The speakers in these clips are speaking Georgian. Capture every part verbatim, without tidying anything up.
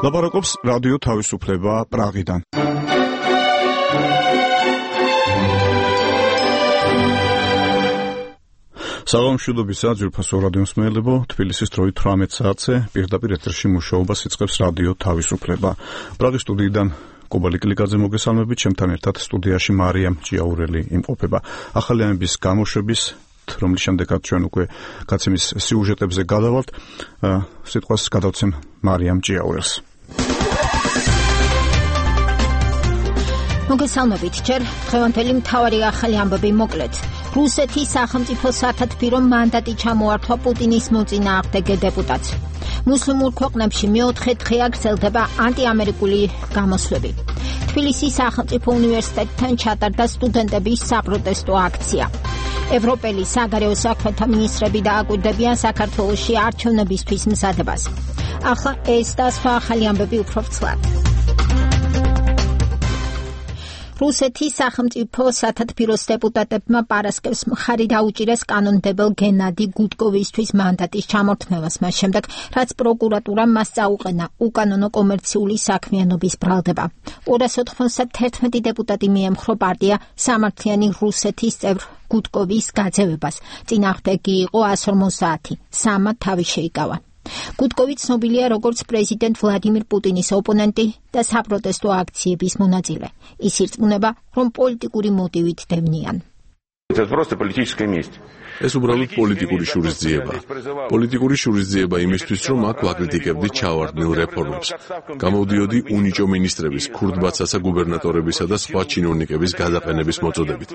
ლაპარაკობს რადიო თავისუფლება პრაღიდან. საღამოშუდობისა ძვირფასო რადიო მსმენელებო, თბილისის დროით თვრამეტ საათზე პირდაპირ ეთერში მუშაობას იწყებს რადიო თავისუფლება. პრაღის სტუდიიდან კობალი კლიკაძე მოგესალმებით, ჩემთან ერთად სტუდიაში მარიამ ჭიაურელი იმყოფება. ახალი ამების გამოშვების რომლის შემდეგაც ჩვენ უკვე გაცემის სიუჟეტებზე გადავალთ. სიტყვას გადავცემ მარიამ ჭიაურელს. მოგესალმებით, ჯერ დღევანდელი მთავარი ახალი ამბები მოკლედ. რუსეთის სახელმწიფო სათათბირო მანდატი ჩამოართვა პუტინის მოწინააღმდეგე დეპუტატს. მუსლიმურ ქვეყნებში მეოთხე დღე გრძელდება ანტიამერიკული გამოსვლები. თბილისის სახელმწიფო უნივერსიტეტთან ჩატარდა სტუდენტების საპროტესტო აქცია. ევროპელი საგარეო საქმეთა მინისტრები დააკვირდებიან საქართველოში არჩევნებისთვის მზადებას. ახლა ეს და სხვა ახალი ამბები უფრო ვრცლად. რუსეთის სახელმწიფო სათათბიროს დეპუტატებმა პარასკევს მხარი დაუჭირეს კანონმდებელ გენადი გუდკოვისთვის მანდატის ჩამორთმევას მას შემდეგ, რაც პროკურატურამ მას წაუყენა უკანონო კომერციული საქმიანობის ბრალდება. ორას ოთხმოცდაათი დეპუტატი მიემხრო პარტია სამართლიანი რუსეთის წევრ გუდკოვის გაძევებას. წინააღმდეგი იყო εκατს ორმოცდაათი, სამად თავი შეიკავა. გუდკოვი ცნობილია როგორც პრეზიდენტ ვლადიმირ პუტინის ოპონენტი და საპროტესტო აქციების მონაწილე. ის ირწმუნება, რომ პოლიტიკური მოტივით დევნიან. ეს უბრალოდ პოლიტიკური შურისძიება. პოლიტიკური შურისძიება იმისთვის, რომ აქ ვაკრიტიკებდი ჩავარდნილ რეფორმებს. გამოვდიოდი უნიჭო მინისტრების, ქურდბაცასა გუბერნატორებისა და სხვა ჩინოვნიკების გადაყენების მოწოდებით.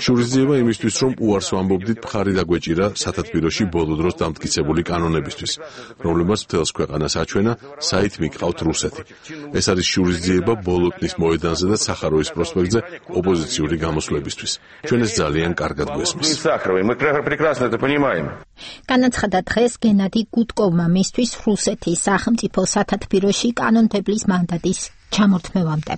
შურისძიება იმისთვის, რომ უარს ვამბობდით მხარი დაგვეჭირა სათათბიროში ბოლო დროს დამტკიცებული კანონებისთვის, რომლებმაც მთელს ქვეყანას აჩვენა, საით მიყავთ რუსეთი. ეს არის შურისძიება ბოლოტნის მოედანზე და სახაროვის პროსპექტზე ოპოზიციური გამოსვლებისთვის. ჩვენ ეს ძალიან კარგად გვესმის. განაცხადა დღეს გენადი გუდკოვმა მისთვის რუსეთის სახელმწიფო სათათბიროში კანონმდებლის მანდატის ჩამორთმევამდე.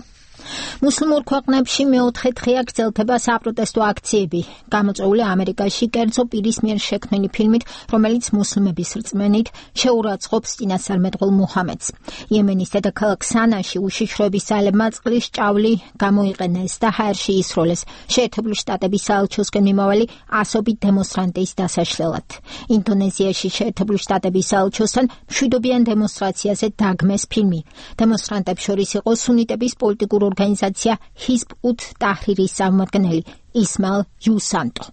მუსლიმურ ქვეყნებში მეოთხე დღეა გრძელდება საპროტესტო აქციები. გამოწვეული ამერიკაში კერძო პირის მიერ შექმნილი ფილმით, რომელიც მუსლიმების რწმენით შეურაცხყოფს წინასწარმეტყველ მუჰამედს. იემენის დედაქალაქ სანაში უშიშროების ძალებმა წყლის ჭავლი გამოიყენეს და ჰაერში ისროლეს შეერთებული შტატების საელჩოსკენ მიმავალი ასობით დემონსტრანტის დასაშლელად. ინდონეზიაში შეერთებული შტატების საელჩოსთან მშვიდობიან დემონსტრაციაზე დაგმეს ფილმი. დემონსტრანტებს შორის იყო სუნიტების პოლიტიკური ორგანიზაცია ჰიზბ უტ ტაჰრირის წარმომადგენელი ისმაილ იუსანტო.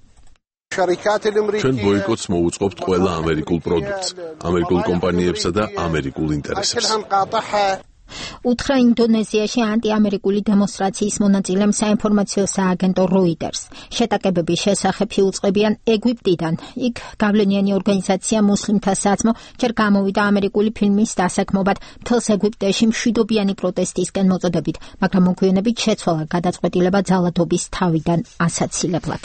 ჩვენ ბოიკოტს მოუწყობთ ყველა ამერიკულ პროდუქტს, ამერიკულ კომპანიებსა და ამერიკულ ინტერესებს. უთხრა ინდონეზიაში ანტიამერიკული დემონსტრაციის მონაწილემ საინფორმაციო სააგენტო როიტერს. შეტაკებების შესახებ იუწყებიან ეგვიპტიდან. იქ გავლენიანი ორგანიზაცია მუსლიმთა საძმო ჯერ გამოვიდა ამერიკული ფილმის დასაქმობად მთელს ეგვიპტეში მშვიდობიანი პროტესტისკენ მოწოდებით, მაგრამ მოგვიანებით შეცვალა გადაწყვეტილება ძალადობის თავიდან ასაცილებლად.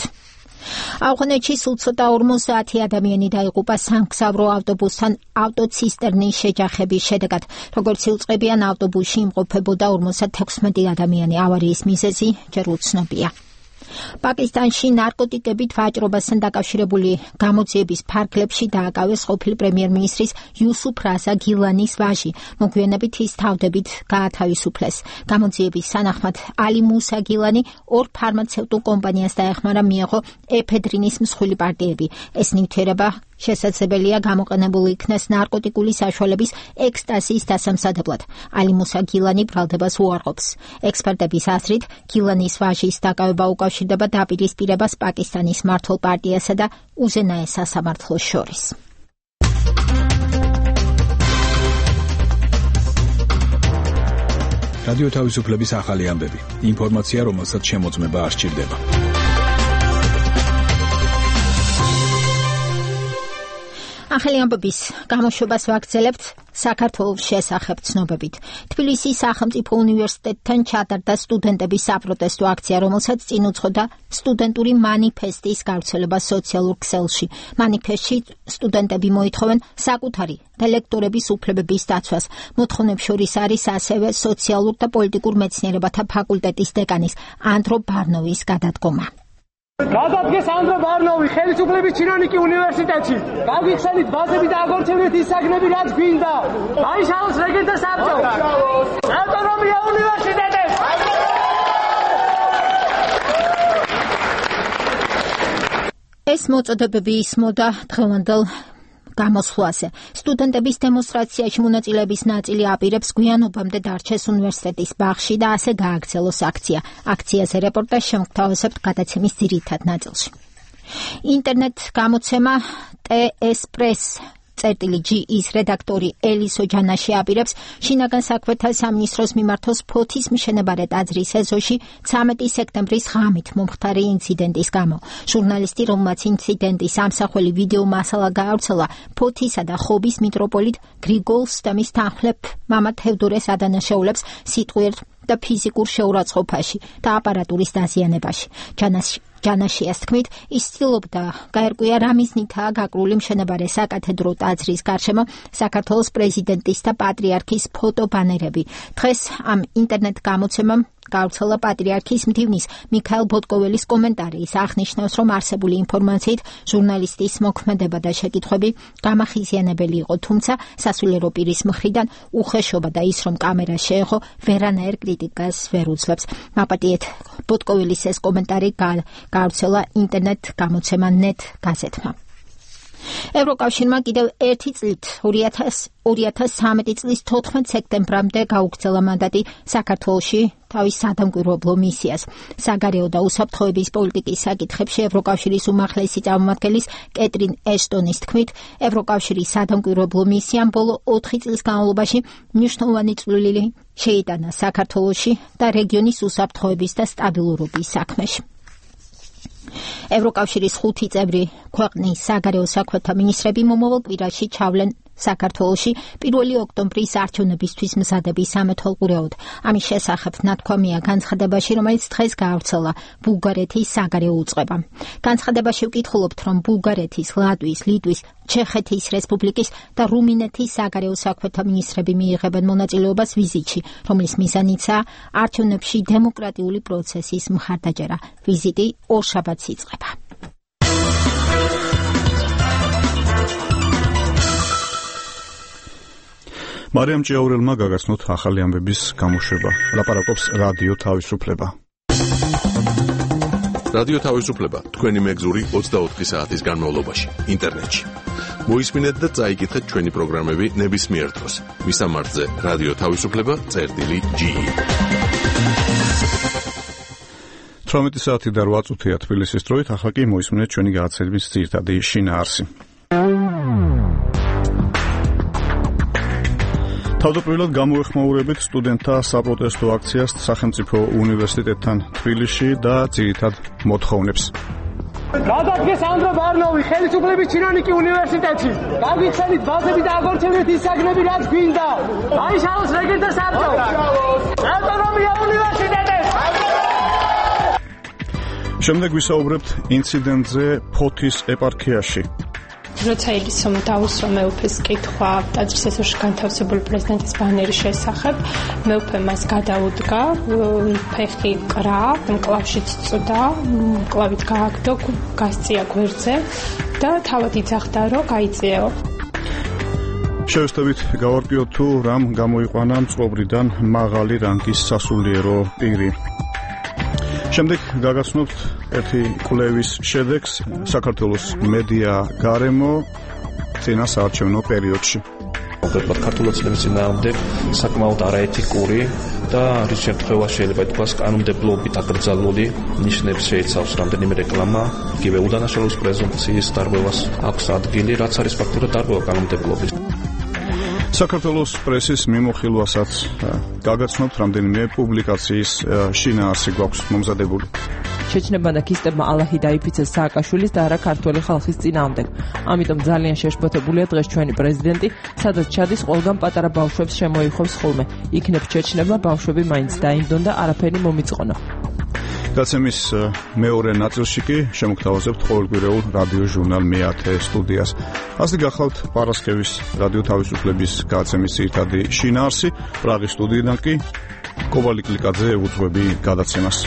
ავღანეთში სულ ცოტა ორმოცდაათი ადამიანი დაიღუპა სამგზავრო ავტობუსთან ავტოცისტერნის შეჯახების შედეგად. როგორც იუწყებიან, ავტობუსში იმყოფებოდა ორმოცდათექვსმეტი ადამიანი. ავარიის მიზეზი ჯერ უცნობია. პაკისტანში ნარკოტიკებით ვაჭრობასთან დაკავშირებული გამოძიების ფარგლებში დააკავეს ყოფილი პრემიერ-მინისტრის იუსუფ რაზა გილანის ვაჟი. მოგვიანებით ის თავდებით გაათავისუფლეს. გამოძიების სანახმად ალი მუსა გილანი ორ ფარმაცევტულ კომპანიას დაეხმარა მიეღო ეფედრინის მსხვილი პარტიები. ეს ნივთიერება შესაძლებელია გამოყენებული იქნეს ნარკოტიკული საშუალების ექსტაზის დასამზადებლად. ალი მუსა გილანი ბრალდებას უარყოფს. ექსპერტების აზრით, გილანის ვაჟის დაკავება უკავშირდება დაპირისპირებას პაკისტანის მმართველ პარტიასა და უზენაეს სასამართლოს შორის. რადიო თავისუფლების ახალი ამბები. ინფორმაცია, რომელსაც შემოწმება არ სჭირდება. ახალი ამბების გამოშვებას ვაგრძელებთ საქართველოს შესახებ ცნობებით. თბილისის სახელმწიფო უნივერსიტეტთან ჩატარდა სტუდენტების საპროტესტო აქცია, რომელსაც წინ უძღოდა სტუდენტური მანიფესტის გავრცელება სოციალურ ქსელში. მანიფესტში სტუდენტები მოითხოვენ საკუთარი და ლექტორების უფლებების დაცვას. მოთხოვნებს შორის არის ასევე სოციალურ და პოლიტიკურ მეცნიერებათა ფაკულტეტის დეკანის ანდრო ბარნოვის გადადგომა. გადადგეს ანდრო ბარნოვი ხელისუფლების ჩინონიკი უნივერსიტეტში. გაგიხსენით ბაზები და აგორჩევნეთ ის საგნები, რაც გვინდა. დაიშალოს რეგენტთა საბჭო. ავტონომია უნივერსიტეტებს. ეს მოწოდებები ისმოდა დღევანდელ გამოსვლაზე. სტუდენტების დემონსტრაციაში მონაწილეების ნაწილი აპირებს გვიანობამდე დარჩეს უნივერსიტეტის ბაღში და ასე გააგრძელოს აქცია. აქციაზე რეპორტაჟს შემოგთავაზებთ გადაცემის ძირითად ნაწილში. ინტერნეტ გამოცემა ტე ეს პრეს წერტილი ჯი-ის რედაქტორი ელისო ჯანაში აპირებს შინაგან საქმეთა სამინისტროს მიმართოს ფოთის მშენებარე ტაძრის ეზოში ცამეტი სექტემბრის ღამით მომხდარი ინციდენტის გამო. ჟურნალისტი, რომელმაც ინციდენტის ამსახველი ვიდეო მასალა გაავრცელა, ფოთისა და ხობის მიტროპოლიტ გრიგოლს და მის თანხმლებ მამა თევდორეს ადანაშაულებს სიტყვიერ და ფიზიკურ შეურაცხყოფაში და აპარატურის დაზიანებაში. ჯანაში ჯანაშიას თქმით, ის ცდილობდა გაერკვია რა მიზნითაა გაკრული მშენებარე საკათედრო ტაძრის გარშემო საქართველოს პრეზიდენტის და პატრიარქის ფოტობანერები. დღეს ამ ინტერნეტ გამოცემამ გავრცელა პატრიარქის მდივნის მიქაელ ბოტკოველის კომენტარი. ის აღნიშნავს, რომ არსებული ინფორმაციით ჟურნალისტის მოქმედება და შეკითხვები გამახიზიანებელი იყო, თუმცა სასულიერო პირის მხრიდან უხეშობა და ის, რომ კამერა შეეხო, ვერანაირ კრიტიკას ვერ უძლებს. მაპატიეთ ბოტკოველის ეს კომენტარი გავრცელა ინტერნეტ გამოცემა ნეტ გაზეთმა. ევროკავშირმა კიდევ ერთი წლით ორი ათას ცხრამეტი წლის თოთხმეტ სექტემბრამდე გაუგრძელა მანდატი საქართველოში თავის სადამკვირვებლო მისიას. საგარეო და უსაფრთხოების პოლიტიკის საკითხებში ევროკავშირის უმაღლესი წარმომადგენლის კეტრინ ეშტონის თქმით, ევროკავშირის სადამკვირვებლო მისიამ ბოლო ოთხი წლის განმავლობაში მნიშვნელოვანი წვლილი შეიტანა საქართველოში და რეგიონის უსაფრთხოების და სტაბილურობის საქმეში. ევროკავშირის ხუთი წევრი ქვეყნის საგარეო საქმეთა მინისტრები მომავალ კვირაში ჩავლენ საქართველოში პირველი ოქტომბრის არჩევნებისთვის მზადების სამეთვალყურეოდ. ამის შესახებ ნათქვამია განცხადებაში, რომელიც დღეს გაავრცელა ბულგარეთის საგარეო უწყებამ. განცხადებაში ვკითხულობთ, რომ ბულგარეთის, ლატვიის, ლიტვის, ჩეხეთის რესპუბლიკის და რუმინეთის საგარეო საქმეთა მინისტრები მიიღებენ მონაწილეობას ვიზიტში, რომლის მიზანიცაა არჩევნებში დემოკრატიული პროცესის მხარდაჭერა. ვიზიტი ორშაბათს იწყება. მარიამ ჭიაურელმა გაგაცნოთ ახალი ამბების გამოშვება. ლაპარაკობს რადიო თავისუფლება. რადიო თავისუფლება თქვენი მეგზური ოცდაოთხი საათის განმავლობაში ინტერნეტში. მოისმინეთ და წაიკითხეთ ჩვენი პროგრამები ნებისმიერ დროს. მისამართზე რადიო თავისუფლება წერტილი ჯი. თვრამეტი საათი და რვა წუთია თბილისის დროით, ახლა კი მოისმინეთ ჩვენი გადაცემის ძირითადი შინაარსი. თავდაპირველად გამოეხმაურებით სტუდენტთა საპროტესტო აქციას სახელმწიფო უნივერსიტეტთან თბილისში და ძირითად მოთხოვნებს. გადადგეს ანდრო ბარნოვი ხელისუფლების ჩინონიკი უნივერსიტეტში. გაგიხსენით ბაზები და აგორჩევნეთ ის საგნები, რაც გვინდა. დაიშალოს რეგენტთა საბჭო. ავტონომია უნივერსიტეტებს. შემდეგ ვისაუბრებთ ინციდენტზე ფოთის ეპარქიაში. როცა ილისომ დაუსვა მეუფეს კითხვა ტაძრის ეზოში განთავსებული პრეზიდენტის ბანერის შესახებ, მეუფე მას გადაუდგა, ფეხი კრა, მკლავშიც წვდა, მკლავით გააგდო, გასწია გვერდზე და თავად იძახდა, რომ გაიწიეო. შევესწავლით გავარკვიოთ თუ რამ გამოიყვანა მწყობრიდან მაღალი რანგის სასულიერო პირი. შემდეგ გაგაცნობთ ერთი კვლევის შედეგს საქართველოს მედია გარემო წინა საარჩევნო პერიოდში. კონკრეტულად ქართული ცნების წინააღმდეგ საკმაოდ არაეთიკური და რის შემთხვევაში შეიძლება ითქვას კანონმდებლობით აკრძალული ნიშნებს შეიცავს რამდენიმე რეკლამა, იგივე უდანაშაულობის პრეზუმპციის დარღვევას აქვს ადგილი, რაც არის ფაქტურად დარღვევა კანონმდებლობის. საქართველოს პრესის მიმოხილვასაც გაგაცნობთ რამდენიმე პუბლიკაციის შინაარსი გვაქვს მომზადებული. შეჩნებმა და ქისტებმა ალაჰი დაიფიცეს სააკაშვილის და არა ქართველი ხალხის წინააღმდეგ. ამიტომ ძალიან შეშფოთებულია დღეს ჩვენი პრეზიდენტი, სადაც ჩადის ყველგან პატარა ბავშვებს შემოიხობს ხოლმე. იქნებ შეჩნებმა ბავშვები მაინც დაინდონ და არაფერი მომიწყონა. გაცემის მეორე ნაწილში კი შემოგთავაზებთ ყოველკვირეულ რადიო ჟურნალ მეათე სტუდიას. ასე გახლავთ პარასკევის რადიო თავისუფლების გაცემის ძირითადი შინაარსი. პრაღის სტუდიიდან კი კობალი კლიკაძე უძღვები გადაცემას.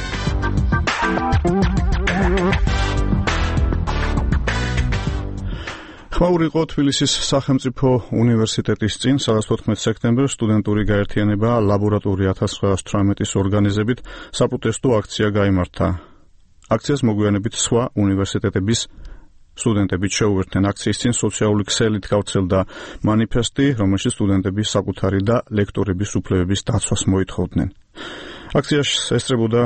ხმაური იყო თბილისის სახელმწიფო უნივერსიტეტის წინ სათორმეტ სექტემბერს სტუდენტური გაერთიანება ლაბორატორია ათას ცხრაას თვრამეტის ორგანიზებით საპროტესტო აქცია გაიმართა. აქციას მოგვიანებით სხვა უნივერსიტეტების სტუდენტები შეუერთდნენ. აქციის წინ სოციალური ქსელით გავრცელდა მანიფესტი, რომელშიც სტუდენტები საკუთარი და ლექტორების უფლებების დაცვას მოითხოვდნენ. აქციას ესწრებოდა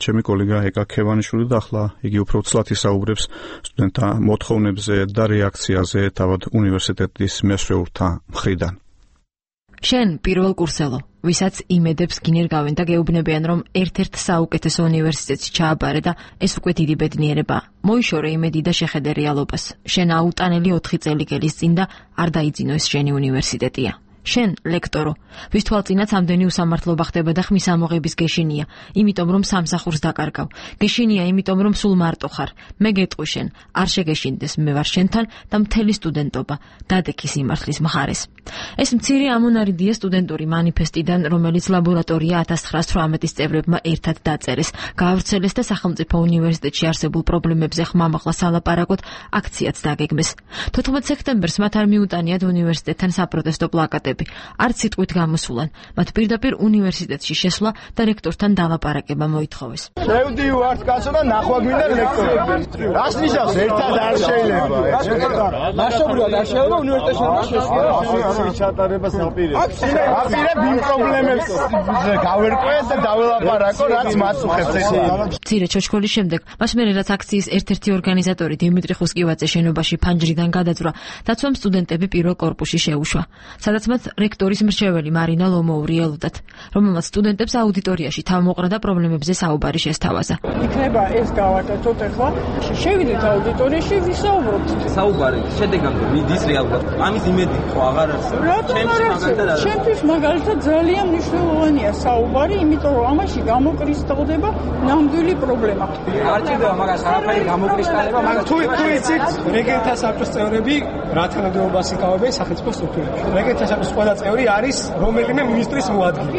ჩემი კოლეგა ეკა ქევანიშვილი და ახლა იგი უფრო ცლად ისაუბრებს სტუდენტთა მოთხოვნებზე და რეაქციაზე თავად უნივერსიტეტის მესვეურთა მხრიდან. შენ პირველ კურსელო, ვისაც იმედებს გინერგავენ და გეუბნებიან, რომ ერთ-ერთ საუკეთესო უნივერსიტეტში ჩააბარე და ეს უკვე დიდი ბედნიერებაა. მოიშორე იმედი და შეხედე რეალობას. შენ აუტანელი ოთხი წელი გელის წინ და არ დაიძინო ეს შენი უნივერსიტეტია. შენ ლექტორო, ვის თვალწინაც ამდენი უსამართლობა ხდება და ხმის ამოღების გეშინია, იმიტომ რომ სამსახურს დაკარგავ. გეშინია, იმიტომ რომ სულ მარტო ხარ. მე გეტყვი შენ, არ შეგეშინდეს, მე ვარ შენთან და მთელი სტუდენტობა დადექი სიმართლის მხარეს. ეს მცირე ამონარიდია სტუდენტური მანიფესტიდან, რომელიც ლაბორატორია ათას ცხრაას თვრამეტის წევრებმა ერთად დაწერეს, გაავრცელეს და სახელმწიფო უნივერსიტეტში არსებულ პრობლემებზე ხმამაღლა სალაპარაკოდ აქციაც დაგეგმეს. თოთხმეტ სექტემბერს მათ არ მიუტანიათ უნივერსიტეტთან საპროტესტო პლაკატები. არც სიტყვით გამოსულან, მათ პირდაპირ უნივერსიტეტში შესვლა და რექტორთან დალაპარაკება მოითხოვეს. შევდივართ კაცო და ნახვა გვინდა ლექტორები. რას ნიშნავს ერთად არ შეიძლება? მასშტაბურად არ შეიძლება უნივერსიტეტში შესვლა. ჩატარება საპირე. აპირებ იმ პრობლემებს გავერკვეთ და დაველაპარაკო, რაც მას უხერხებს ესე. მცირე ჩოჩქოლის შემდეგ, მას მერე რაც აქციის ერთ-ერთი ორგანიზატორი დიმიტრი ხუსკივაძე შენობაში ფანჯრიდან გადაძვრა, დაცვამ სტუდენტები პირველ კორპუსში შეუშვა, სადაც მათ რექტორის მრჩეველი მარინა ლომოური ელოდათ, რომელმაც სტუდენტებს აუდიტორიაში თავმოყრა და პრობლემებზე საუბარი შესთავაზა. იქნება ეს გავაკეთოთ ახლა. შევიდეთ აუდიტორიაში, ვისაუბროთ. საუბარი შედეგამდე მიდის რეალურად. ამის იმედი ხო აღარ არის. ჩემთვის მაგალითად ძალიან მნიშვნელოვანია საუბარი, იმიტომ რომ ამაში გამოკრისტალდება ნამდვილი პრობლემა. არ ჭირდება მაგას არაფერი გამოკრისტალება, მაგრამ თუ თუ იცით, რეგენტთა საბჭოს წევრები რა თანამდებობას იკავებენ სახელმწიფო სტრუქტურებში. რეგენტთა საბჭოს ყველა წევრი არის რომელიმე მინისტრის მოადგილე.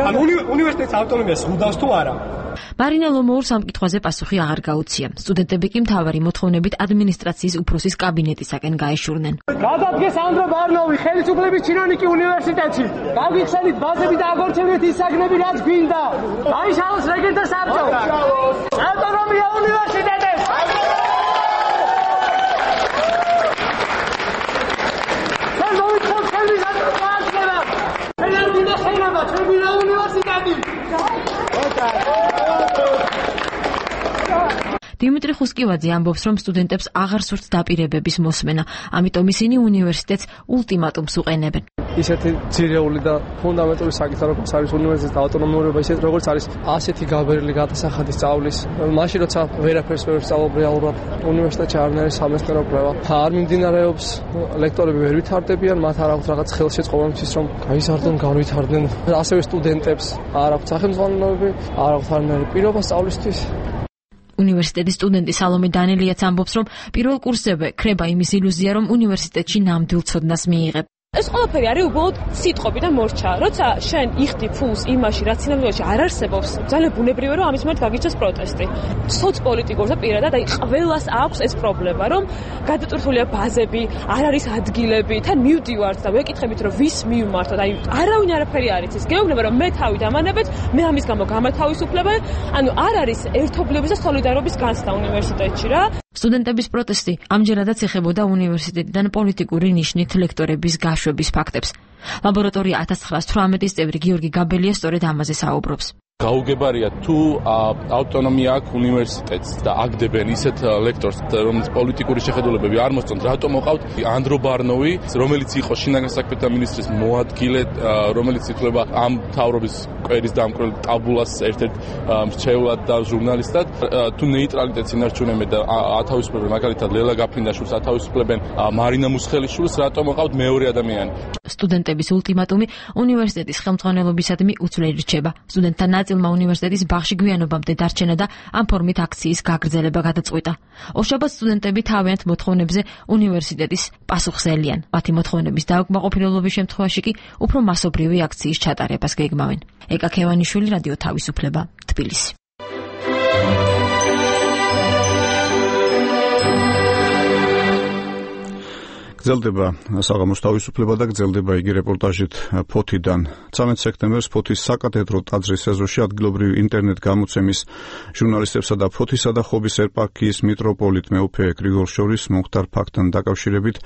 ანუ უნივერსიტეტის ავტონომიას უდავს თუ არა? მარინა ლომოურს ამ კითხვაზე პასუხი აღარ გაუცია. სტუდენტები კი მთავარი მოთხოვნებით ადმინისტრაციის უფროსის კაბინეტისაკენ გაეშურნენ. გადადგეს ანდრო ბარნოვი ხელისუფლების ჩინოვნიკი უნივერსიტეტში. გაგიხსენით ბაზები და აგორჩევნეთ ის საგნები, რაც გვინდა. დაიშალოს რეგენტთა საბჭო. ავტონომია უნივერსიტეტებს. ჩვენ მოვითხოვთ ხელის აკრებაა. ფედერალური და ხელობა ჩვენი უნივერსიტეტი. დიმიტრი ხუსკივაძე ამბობს, რომ სტუდენტებს აღარ სურთ დაპირებების მოსმენა, ამიტომ ისინი უნივერსიტეტს ულტიმატუმს უყენებენ. ისეთი ძირეული და ფუნდამენტური საკითხი, როგორც არის უნივერსიტეტის ავტონომიურობა, ისეთ როგორც არის ასეთი გაბერილი გადასახადი სწავლის, მაშინ როცა ვერაფერს ვერ ვსწავლობ რეალურად უნივერსიტეტში არ არის სამეცნიერო კვლევა. არ მიმდინარეობს, ლექტორები ვერ ვითარდებიან, მათ არ აქვს რაღაც ხელშეწყობა იმისთვის, რომ გაიზარდონ, განვითარდნენ. ასევე სტუდენტებს არ აქვს სახელმძღვანელოები, არ აქვს არანაირი პირობა სწავლისთვის. უნივერსიტეტის სტუდენტი სალომე დანელიაც ამბობს, რომ პირველ კურსზე ქრება იმის ილუზია, რომ უნივერსიტეტში ნამდვილ ცოდნას მიიღებ. ეს ყველაფერი არის უბრალოდ სიტყვები და მორჩა. როცა შენ იხდი ფულს იმაში, რაც სინამდვილეში არ არსებობს, ძალიან ბუნებრივია, რომ ამის მიმართ გაგიჩნდეს პროტესტი. სოცპოლიტიკურ და პირადად, აი ყველას აქვს ეს პრობლემა, რომ გადატვირთულია ბაზები, არ არის ადგილები, თან მივდივართ და ვეკითხებით, რომ ვის მივმართოთ. აი არავინ არაფერი არ იცის. გეუბნება, რომ მე თავი დამანებეთ, მე ამის გამო გამათავისუფლებენ, ანუ არ არის ერთობლივობის და სოლიდარობის განცდა უნივერსიტეტში რა. სტუდენტების პროტესტი ამჯერადაც ეხებოდა უნივერსიტეტიდან პოლიტიკური ნიშნით ლექტორების გაშვების ფაქტებს. ლაბორატორია ათას ცხრაას თვრამეტის წევრი გიორგი გაბელია სწორედ ამაზე საუბრობს. გაუგებარია თუ ავტონომია აქვს უნივერსიტეტს და აგდებენ ისეთ ლექტორს, რომელიც პოლიტიკური შეხედულებები არ მოსწონთ, რატომ მოყავთ ანდრო ბარნოვი, რომელიც იყო შინაგან საქმეთა მინისტრის მოადგილე, რომელიც ითვლება ამ მთავრობის კვერის დამკვრელ ტაბულას ერთ-ერთ მრჩევლად და ჟურნალისტად, თუ ნეიტრალიტეტს ინარჩუნებენ და ათავისუფლებენ მაგალითად ლელა გაფრინდაშვილს, ათავისუფლებენ მარინა მუსხელიშვილს, რატომ მოყავთ მეორე ადამიანი? სტუდენტების ულტიმატუმი უნივერსიტეტის ხელმძღვანელობისადმი უცვლელი რჩება. სტუდენტთა ნაწილმა უნივერსიტეტის ბაღში გვიანობამდე დარჩენა და ამ ფორმით აქციის გაგრძელება გადაწყვიტა. ორშაბათს სტუდენტები თავიანთ მოთხოვნებზე უნივერსიტეტის პასუხს ელიან. მათი მოთხოვნების დაუკმაყოფილების შემთხვევაში კი უფრო მასობრივი აქციის ჩატარებას გეგმავენ. ეკა ქევანიშვილი, რადიო თავისუფლება, თბილისი. გრძელდება საღამოს თავისუფლება და გრძელდება იგი რეპორტაჟით ფოთიდან. ცამეტ სექტემბერს ფოთის საკათედრო ტაძრის ეზოში ადგილობრივი ინტერნეტ გამოცემის ჟურნალისტებსა და ფოთისა და ხობის ეპარქიის მიტროპოლიტ მეუფე გრიგორ შორის მომხდარ ფაქტთან დაკავშირებით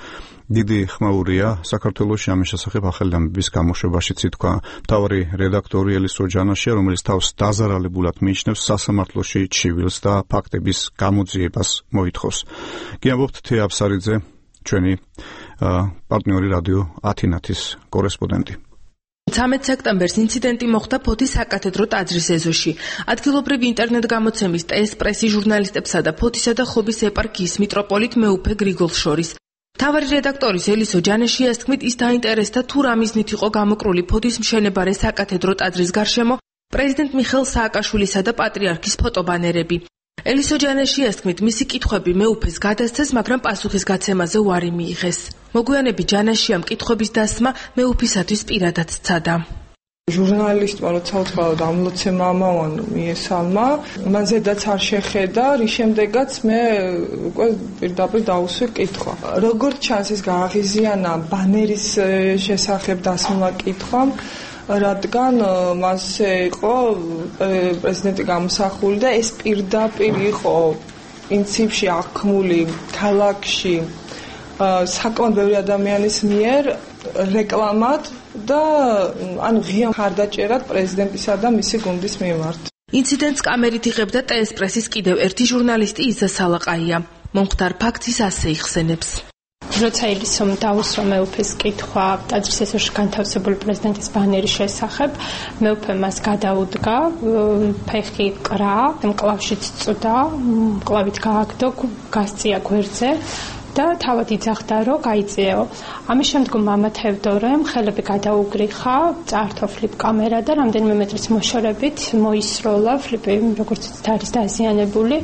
დიდი ხმაურია საქართველოში. ამის შესახებ ახალი ამბების გამოშვებაშიც ითქვა მთავარი რედაქტორი ელისო ჯანაშია, რომელიც თავს დაზარალებულად მიიჩნევს სასამართლოში ჩივილს და ფაქტების გამოძიებას მოითხოვს. გიამბობთ თეა აფსარიძე, ჩვენი პარტნიორი რადიო ათინათის კორესპონდენტი. ცამეტ სექტემბერს ინციდენტი მოხდა ფოთის საკათედრო ტაძრის ეზოში. ადგილობრივი ინტერნეტ გამოცემის ტეს პრესი ჟურნალისტებსა და ფოთისა და ხობის ეპარქიის მიტროპოლიტ მეუფე გრიგოლ შორის. მთავარი რედაქტორის ელისო ჯანაშიას თქმით, ის დაინტერესდა თუ რა მიზნით იყო გამოკრული ფოთის მშენებარე საკათედრო ტაძრის გარშემო პრეზიდენტ მიხეილ სააკაშვილისა და პატრიარქის ფოტობანერები. ელისო ჯანაშიას თქმით, მისი კითხვები მეუფეს გადასცეს, მაგრამ პასუხის გაცემაზე უარი მიიღეს. მოგვიანებით ჯანაშიამ კითხვების დასმა მეუფისათვის პირადად სცადა. ჟურნალისტმა როცა უთხრა ამლოცე მამაონ მიესალმა, მან ზედაც არ შეხედა, რის შემდეგაც მე უკვე პირდაპირ დაუსვი კითხვა. როგორც ჩანს, ის გააღიზიანა ბანერის შესახებ დასმულმა კითხვამ, რადგან მასზე იყო პრეზიდენტი გამოსახული და ეს პირდაპირ იყო პრინციპში აღქმული ქალაქში საკმაოდ ბევრი ადამიანის მიერ რეკლამად და ანუ ღია მხარდაჭერად პრეზიდენტისა და მისი გუნდის მიმართ. ინციდენტს კამერით იღებდა ტეს პრესის კიდევ ერთი ჟურნალისტი იზა სალაყაია. მომხდარ ფაქტს ასე იხსენებს. როცა ელისომ დაუსვა მეუფეს კითხვა ტაძრის ეზოში განთავსებული პრეზიდენტის ბანერის შესახებ, მეუფე მას გადაუდგა, ფეხი კრა, მკლავშიც წვდა, მკლავით გააგდო, გასწია გვერდზე და თავად იძახდა, რომ გაიწიეო. ამის შემდგომ მამა თევდორემ ხელები გადაუგრიხა, წაართვა ფლიპ კამერა და რამდენიმე მეტრის მოშორებით მოისროლა ფლიპი, როგორც იცით, არის დაზიანებული.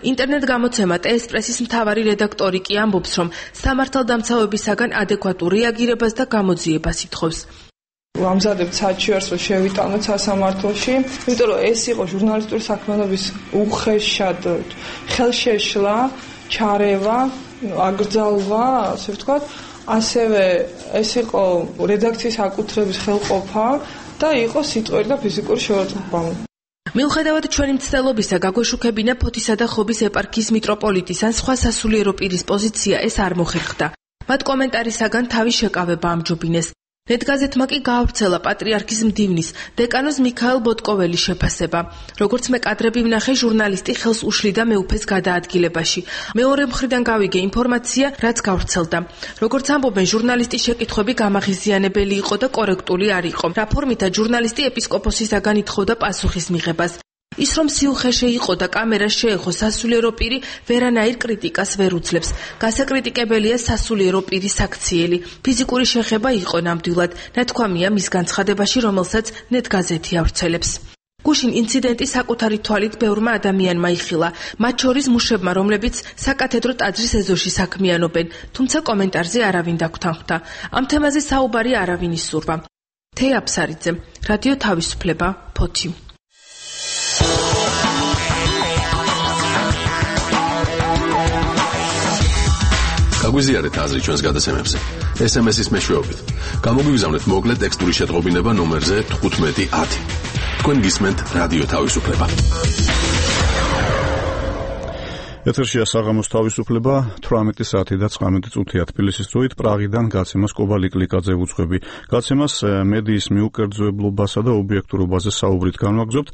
ინტერნეტ გამოცემა ტეს პრესის მთავარი რედაქტორი კი ამბობს, რომ სამართალდამცავებისაგან ადეკვატურ რეაგირებას და გამოძიებას ითხოვს. ვამზადებთ საჩივარს, რომ შევიტანოთ სასამართლოში, იმიტომ რომ ეს იყო ჟურნალისტური საქმიანობის უხეშად ხელშეშლა, ჩარევა, აკრძალვა, ასე ვთქვათ, ასევე ეს იყო რედაქციის აკუთრების ხელყოფა და იყო სიტყვერი და ფიზიკური შევარდნება. მიუხედავად ჩვენი მცდელობისა, გაგვეშუქებინა ფოთისა და ხობის ეპარქიის მიტროპოლიტის ან სხვა სასულიერო პირის პოზიცია, ეს არ მოხერხდა. მათ კომენტარისაგან თავის შეკავება ამჯობინეს. ნეტგაზეთმა კი გაავრცელა პატრიარქის მდივნის, დეკანოზ მიქაელ ბოტკოველის შეფასება. როგორც მე კადრები ვნახე, ჟურნალისტი ხელს უშლიდა მეუფეს გადაადგილებაში. მეორე მხრიდან გავიგე ინფორმაცია, რაც გავრცელდა. როგორც ამბობენ, ჟურნალისტის შეკითხვები გამაღიზიანებელი იყო და კორექტული არ იყო. რა ფორმითაც ჟურნალისტი ეპისკოპოსისაგან ითხოვდა პასუხის მიღებას. ის რომ სიუხეში იყო და კამერას შეეხო სასულიერო პირი, ვერანაირ კრიტიკას ვერ უძლებს. გასაკრიტიკებელია სასულიერო პირის აქციელი. ფიზიკური შეხება იყო ნამდვილად, ნათქვამია მის განცხადებაში, რომელსაც ნეტგაზეთი ავრცელებს. გუშინ ინციდენტი საკუთარი თვალით ბევრმა ადამიანმა იხილა, მათ შორის მუშებმა, რომლებიც საკათედრო ტაძრის ეზოში საქმიანობენ, თუმცა კომენტარზე არავინ დაგვრთანხმდა. ამ თემაზე საუბარი არავინ ისურვა. თეა აფსარიძე, რადიო თავისუფლება, ფოთი. გაგვიზიარეთ აზრი ჩვენს გადაცემებზე. ეს ემ ეს-ის მეშვეობით. გამოგვიგზავნეთ მოკლე ტექსტური შეტყობინება ნომერზე თხუთმეტი ათი. თქვენ გისმენთ რადიო თავისუფლება. ეთერშია საღამოს თავისუფლება, თვრამეტი საათი და ცხრამეტი წუთია თბილისის დროით. პრაღიდან გაცემას კობალი კლიკაძე უძღვები. გაცემას მედიის მიუკერძოებლობასა და ობიექტურობაზე საუბრით განვაგრძობთ.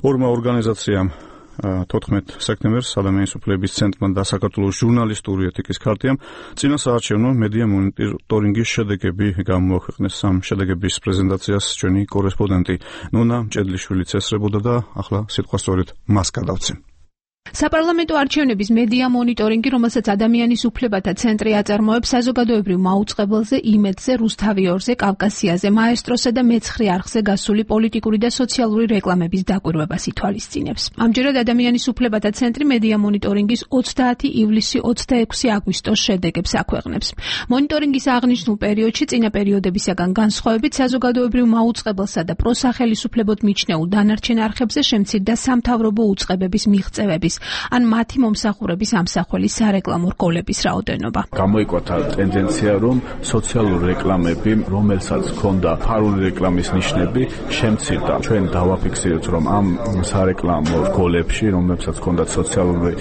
ორმა ორგანიზაციამ თოთხმეტ სექტემბერს ადამიანის უფლებების ცენტრმა და საქართველოს ჟურნალისტური ეთიკის ქარტიამ წინა საარჩევნო მედია მონიტორინგის შედეგები გამოაქვეყნეს. ამ შედეგების პრეზენტაციას ჩვენი კორესპონდენტი ნონა მჭედლიშვილიც ესწრებოდა და ახლა სიტყვა სწორედ მას გადავცემ. საპარლამენტო არჩევნების მედია მონიტორინგი, რომელსაც ადამიანის უფლებათა ცენტრი აწარმოებს, საზოგადოებრივ მაუწყებელზე, იმედზე, რუსთავიორზე, კავკასიაზე, მაესტროსა და მეცხრე არხზე გასული პოლიტიკური და სოციალური რეკლამების დაკვირვებას ითვალისწინებს. ამჯერად ადამიანის უფლებათა ცენტრი მედია მონიტორინგის ოცდაათი ივლისი ოცდაექვსი აგვისტოს შედეგებს აქვეყნებს. მონიტორინგის აღნიშნულ პერიოდში წინა პერიოდებისაგან განსხვავებით საზოგადოებრივ მაუწყებელსა და პროსახელისუფლებოდ მიჩნეულ დანარჩენ არხებზე შემცირდა სამთავრობო უწყებების მიღწევების მოსახლეობის ან მათი მომსახურების ამსახველი სარეკლამო რგოლების რაოდენობა. გამოიკვათა ტენდენცია, რომ სოციალური რეკლამები, რომელსაც ჰქონდა ფარული რეკლამის ნიშნები, შემცირდა. ჩვენ დავაფიქსირეთ, რომ ამ სარეკლამო რგოლებში, რომელსაც ჰქონდა სოციალური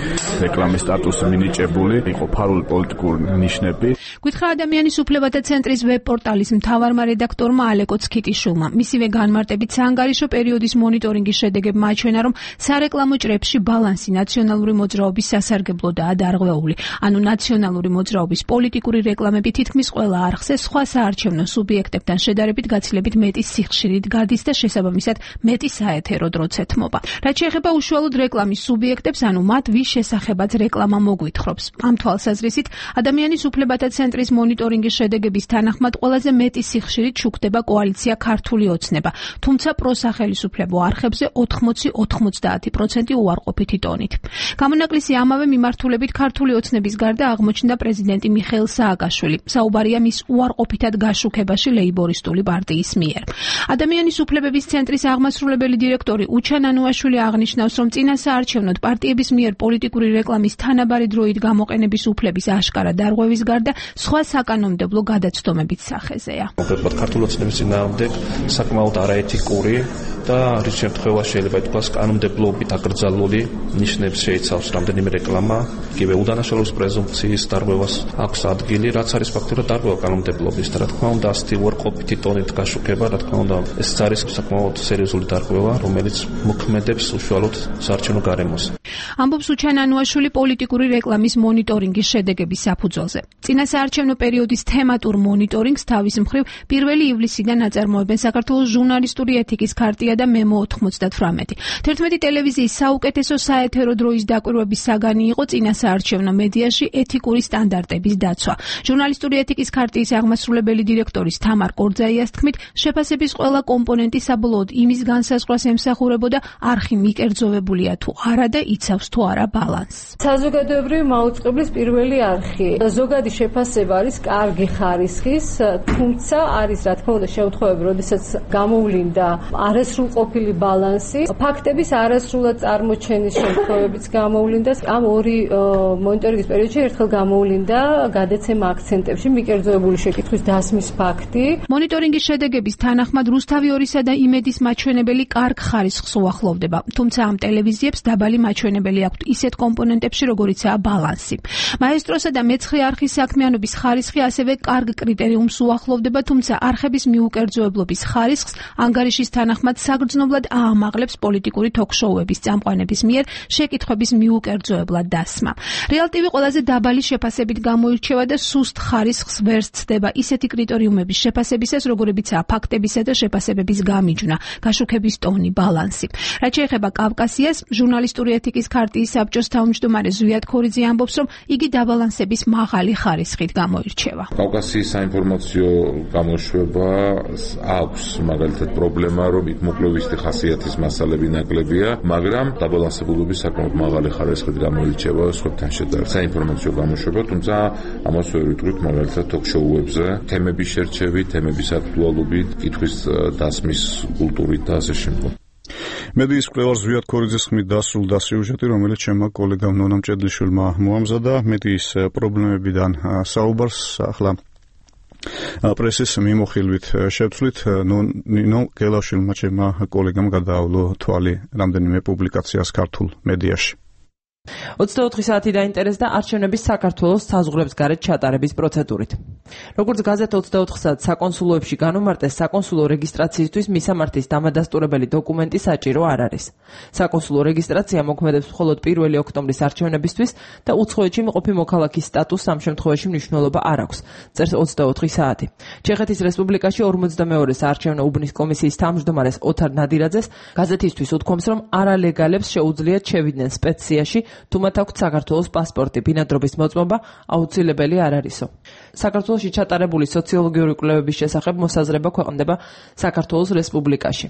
რეკლამის სტატუსი მინიჭებული, იყო ფარული პოლიტიკური ნიშნები. გითხრა ადამიანის უფლებათა ცენტრის ვებ-პორტალის მთავარმა რედაქტორმა ალეკო ცქიტიშვილმა. მისივე განმარტებით საანგარიშო პერიოდის მონიტორინგის შედეგებმა აჩვენა, რომ სარეკლამო ჭრებში ბალანსი ნაციონალური მოძრაობის სასარგებლოდაა დარღვეული. ანუ ნაციონალური მოძრაობის პოლიტიკური რეკლამები თითქმის ყველა არხზე სხვა საარჩევნო სუბიექტებთან შედარებით გაცილებით მეტი სიხშირით გადის და შესაბამისად მეტი საეთერო დროც ეთმობა. რაც შეეხება უშუალოდ რეკლამის სუბიექტებს, ანუ მათ ვის შესახებაც რეკლამა მოგვითხრობს. ამ თვალსაზრისით, ადამიანის უფლებათა ცენტრის მონიტორინგის შედეგების თანახმად ყველაზე მეტი სიხშირით შუქდება კოალიცია ქართული ოცნება, თუმცა პროსახელისუფლებო არხებზე ოთხმოცი ოცდაათი პროცენტი უარყოფითი ტონით. გამონაკლისი ამავე მიმართულებით ქართული ოცნების გარდა აღმოჩნდა პრეზიდენტი მიხეილ სააკაშვილი. საუბარია მის უარყოფითად გაშუქებაში ლეიბორისტული პარტიის მიერ. ადამიანის უფლებების ცენტრის აღმასრულებელი დირექტორი უჩან ანუაშვილი აღნიშნავს, რომ წინა საარჩევნოდ პარტიების მიერ პოლიტიკური რეკლამის თანაბარი დროით გამოყენების უფლების აშკარა დარღვევის გარდა სხვა საკანონმდებლო გადაცდომებით სახეზეა. კონკრეტულად ქართული ოცნების წინააღმდეგ საკმაოდ არაეთიკური და რის შემთხვევაში შეიძლება ითქვას კანონმდებლობით აკრძალული ნიშნებს შეიცავს რამდენიმე რეკლამა, იგივე უდანაშაულობის პრეზუმპციის დარღვევას აქვს ადგილი, რაც არის ფაქტურად დარღვევა კანონმდებლობის და რა თქმა უნდა ასეთი უარყოფითი ტონით გაშუქება, რა თქმა უნდა ეს არის საკმაოდ სერიოზული დარღვევა, რომელიც მოქმედებს უშუალოდ საარჩევნო გარემოს. ამბობს უჩან ანუაშვილი პოლიტიკური რეკლამის მონიტორინგის შედეგების საფუძველზე. წინა საარჩევნო პერიოდის თემატურ მონიტორინგს თავის მხრივ პირველი ივლისიდან აწარმოებენ საქართველოს ჟურნალისტური ეთიკის ქარტია და მემო ოთხმოცდათვრამეტი. თერთმეტი ტელევიზიის საუკეთესო საეთერო დროის დაკვირვების საგანი იყო წინა საარჩევნო მედიაში ეთიკური სტანდარტების დაცვა. ჟურნალისტური ეთიკის ქარტიის აღმასრულებელი დირექტორის თამარ კორძაიას თქმით, შეფასების ყველა კომპონენტი საბოლოოდ იმის განსაზღვრას ემსახურებოდა, არხი მიკერძოვებულია თუ არა და იცავს თუ არა ბალანსს. საზოგადოებრივი მაუწყებლის პირველი არხი. ზოგადი შეფასება არის კარგი ხარისხის, თუმცა არის რა თქმა უნდა შემთხვევები, როდესაც გამოვლინდა არასრულყოფილი ბალანსი, ფაქტების არასრულად წარმოჩენის შემთხვევებიც გამოვლინდა. ამ ორი მონიტორინგის პერიოდში ერთხელ გამოვლინდა გადაცემა აქცენტებში მიკერძოებული შეკითხვის დასმის ფაქტი. მონიტორინგის შედეგების თანახმად რუსთავი ორისა და იმედის მაჩვენებელი კარგ ხარისხს უახლოვდება, თუმცა ამ ტელევიზიებს დაბალი მაჩვენებელი აქვთ ისეთ კომპონენტებში, როგორიცაა ბალანსი. მაესტროსა და მეცხრე არხის საქმიანობის ხარისხი ასევე კარგ კრიტერიუმს უახლოვდება, თუმცა არხების მიუკერძოებლობის ხარისხს ანგარიშის თანახმად საგრძნობლად აამაღლებს პოლიტიკური თოქ-შოუების წამყვანების მიერ შეკითხვების მიუკერძოებლად დასმა. რეალ ტივი ყველაზე დაბალი შეფასებით გამოირჩევა და სუსტ ხარისხს ვერ სცდება ისეთი კრიტერიუმების შეფასებისას, როგორებიცაა ფაქტებისა და შეფასებების გამიჯვნა, გაშუქების ტონი, ბალანსი. რაც შეეხება კავკასიას, ჟურნალისტური ეთიკის ქარტიის საბჭოს თავმჯდომარე ზვიად ქორიძე ამბობს, რომ იგი დაბალანსების მაღალი ხარისხით გამოირჩევა. კავკასიის საინფორმაციო გამოშვება აქვს მაგალითად პრობლემა, რომ იქ მოკვლევისτη ხასიათის მასალები ნაკლებია, მაგრამ დაბალანსებულობის საკმაოდ მაღალი ხარისხით გამოირჩევა სხვებთან შედარებით. საინფორმაციო გამოშვება, თუმცა ამას ვერ ვიტყვით მაგალითად თოქ-შოუებზე, თემების შერჩევით, თემების აქტუალობით, კითხვის დასმის კულტურით და ასე შემდგომ. მედიის მკვლევარ ზვიად ქორიძის ხმით დასრულდა სიუჟეტი, რომელიც ჩემმა კოლეგამ ნონა მჭედლიშვილმა მოამზადა მედიის პრობლემებიდან საუბარს ახლა პრესის მიმოხილვით შევცვლით. ნინო გელაშვილმა ჩემმა კოლეგამ გადაავლო თვალი რამდენიმე პუბლიკაციას ქართულ მედიაში. ოცდაოთხი საათი დაინტერესდა არჩევნების საქართველოს საზღვრებს გარეთ ჩატარების პროცედურით. როგორც გაზეთ ოცდაოთხ საათს საკონსულოებში განუმარტეს, საკონსულო რეგისტრაციისთვის მისამართის დამადასტურებელი დოკუმენტი საჭირო არ არის. საკონსულო რეგისტრაცია მოქმედებს მხოლოდ პირველი ოქტომბრის არჩევნებისთვის და უცხოეთში მყოფი მოქალაქის სტატუსს ამ შემთხვევაში მნიშვნელობა არ აქვს, წერს ოცდაოთხი საათი. ჩეხეთის რესპუბლიკაში ორმოცდამეორე საარჩევნო უბნის კომისიის თავმჯდომარეს ოთარ ნადირაძეს გაზეთისთვის უთქვამს, რომ არალეგალებს შეუძლიათ შევიდნენ სპეციაში, თუ მათ აქვთ საქართველოს პასპორტი, ბინადრობის მოწმობა აუცილებელი არ არისო. საქართველოში ჩატარებული სოციოლოგიური კვლევების შესახებ მოსაზრება ქვეყნდება საქართველოს რესპუბლიკაში.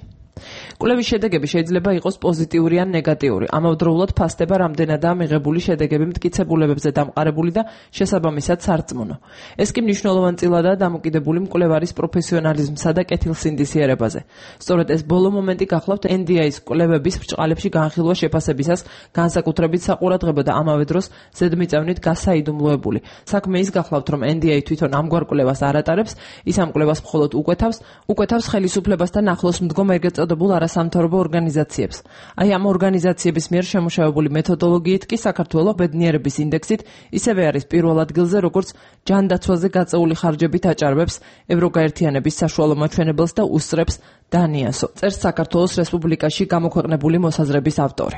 კვლევის შედეგები შეიძლება იყოს პოზიტიური ან ნეგატიური. ამავდროულად ფასდება რამდენადაა მიღებული შედეგები მტკიცებულებებზე დამყარებული და შესაბამისად სარწმუნო. ეს კი მნიშვნელოვანწილადაა დამოკიდებული მკვლევარის პროფესიონალიზმსა და კეთილსინდისიერებაზე. სწორედ ეს ბოლო მომენტი გახლავთ ენ დი ეის კვლევების ბრჭყალებში განხილვა შეფასებისას განსაკუთრებით საყურადღებო და ამავე დროს ზედმიწევნით გასაიდუმლოებული. საქმე ის გახლავთ, რომ ენ დი ეი თვითონ ამგვარ კვლევას არ ატარებს, ის ამ კვლევას მხოლოდ უკვეთავს, უკვეთავს ხელისუფლებასთან ახლოს მდგომ ეგრეთ წოდებულ არასამთავრობო ორგანიზაციებს. აი ამ ორგანიზაციების მიერ შემუშავებული მეთოდოლოგიით კი საქართველოს ბედნიერების ინდექსით ისევე არის პირველ ადგილზე, როგორც ჯანდაცვაზე გაწეული ხარჯებით აჭარბებს ევროგაერთიანების საშუალო მაჩვენებელს და უსწრებს დანიასო. წერს საქართველოს რესპუბლიკაში გამოქვეყნებული მოსაზრების ავტორი.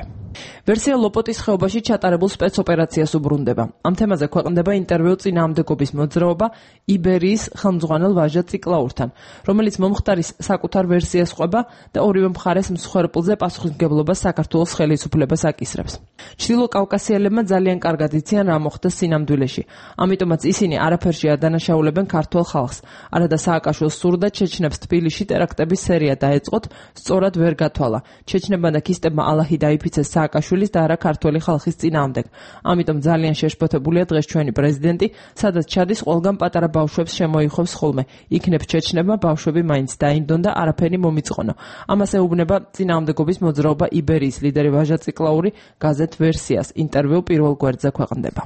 ვერსია ლოპოტის ხეობაში ჩატარებულ სპეცოპერაციას უბრუნდება. ამ თემაზე ქვეყნდება ინტერვიუ წინააღმდეგობის მოძრაობა იბერიის ხელმძღვანელ ვაჟა ციკლაურთან, რომელიც მომხდარის საკუთარ ვერსიას ყვება და ორივე მხარეს მსხვერპლზე პასუხისმგებლობას საქართველოს ხელისუფლებას აკისრებს. ჩრდილო კავკასიელებმა ძალიან კარგად იციან რა მოხდა სინამდვილეში. ამიტომაც ისინი არაფერში არ დანაშაულებენ ქართულ ხალხს. არადა სააკაშვილს სურდა ჩეჩნებს თბილისში ტერაქტების სერია დაეწყოთ, სწორად ვერ გათვალა. ჩეჩნებმა და ქისტებმა ალაჰი დაიფიცეს სააკაშვილის და არა ქართველი ხალხის წინააღმდეგ. ამიტომ ძალიან შეშფოთებულია დღეს ჩვენი პრეზიდენტი, სადაც ჩადის ყველგან პატარა ბავშვებს შემოიხობს ხოლმე. იქნებ ჩეჩნებმა ბავშვები მაინც დაინდონ და არაფერი მომიწყონო. ამას ეუბნება წინააღმდეგობის მოძრაობა იბერიის ლიდერი ვაჟა ციკლაური გაზეთ ვერსიას. ინტერვიუ პირველ გვერდზე ქვეყნდება.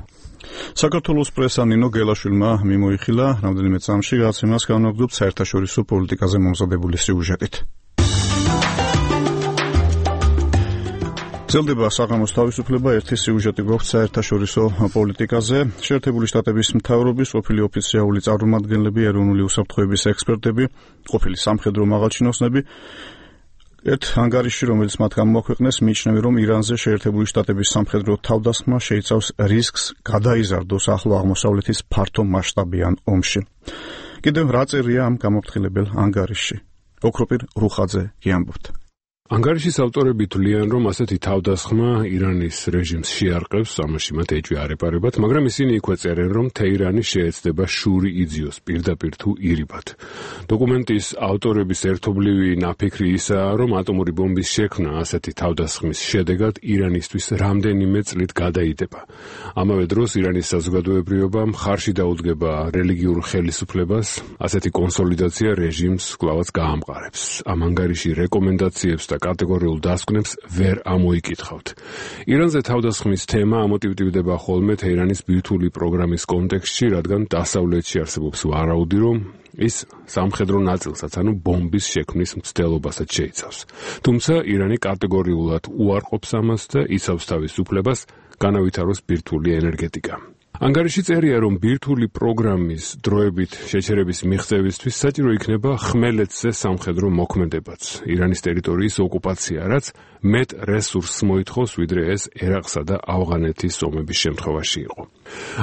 საქართველოს პრესა ნინო გელაშვილმა მიმოიხილა რამდენიმე წამში გაცემას განაგრძობ საერთაშორისო პოლიტიკაზე მომზადებული სიუჟეტით. ძლდება საღამოს თავისუფლება ერთი სიუჟეტი გვაქვს საერთაშორისო პოლიტიკაზე. შეერთებული შტატების მთავრობის ყოფილი ოფიციალური წარმომადგენლები, ეროვნული უსაფრთხოების ექსპერტები, ყოფილი სამხედრო მაღალჩინოსნები ერთ ანგარიში, რომელიც მათ გამოაქვეყნეს, მიიჩნევენ, რომ ირანზე შეერთებული შტატების სამხედრო თავდასხმა შეიცავს რისკს გადაიზარდოს ახლო აღმოსავლეთის ფართო მასშტაბიან ომში. კიდევ რა წერია ამ გამოფრთხილებელ ანგარიშში? ოქროპირ რუხაძე გიამბობთ. ანგარიშის ავტორები თვლიან, რომ ასეთი თავდასხმა ირანის რეჟიმს შეარყევს, ამაში მათ ეჭვი არ ეპარებათ, მაგრამ ისინი იქვე წერენ, რომ თეირანი შეეცდება შური იძიოს პირდაპირ თუ ირიბად. დოკუმენტის ავტორების ერთობლივი ნაფიქრი ისაა, რომ ატომური ბომბის შექმნა ასეთი თავდასხმის შედეგად ირანისთვის რამდენიმე წლით გადაიდება. ამავე დროს ირანის საზოგადოებრიობა მხარში დაუდგება რელიგიურ ხელისუფლებას, ასეთი კონსოლიდაცია რეჟიმს კვლავაც გაამყარებს. ამ ანგარიში რეკომენდაციებს და კატეგორიულ დასკვნებს ვერ ამოიკითხავთ. ირანზე თავდასხმის თემა ამოტივტივდება ხოლმე თეირანის ბირთვული პროგრამის კონტექსტში, რადგან დასავლეთში არსებობს ვარაუდი, რომ ის სამხედრო ნაწილსაც, ანუ ბომბის შექმნის მცდელობასაც შეიცავს. თუმცა ირანი კატეგორიულად უარყოფს ამას და იცავს თავის უფლებას განავითაროს ბირთვული ენერგეტიკა. ანგარიში წერია, რომ ბირთვული პროგრამის დროებით შეჩერების მიღწევისთვის საჭირო იქნება ხმელეთზე სამხედრო მოქმედებაც, ირანის ტერიტორიის ოკუპაცია, რაც მეტ რესურსს მოითხოვს, ვიდრე ეს ერაყსა და ავღანეთის ომების შემთხვევაში იყო.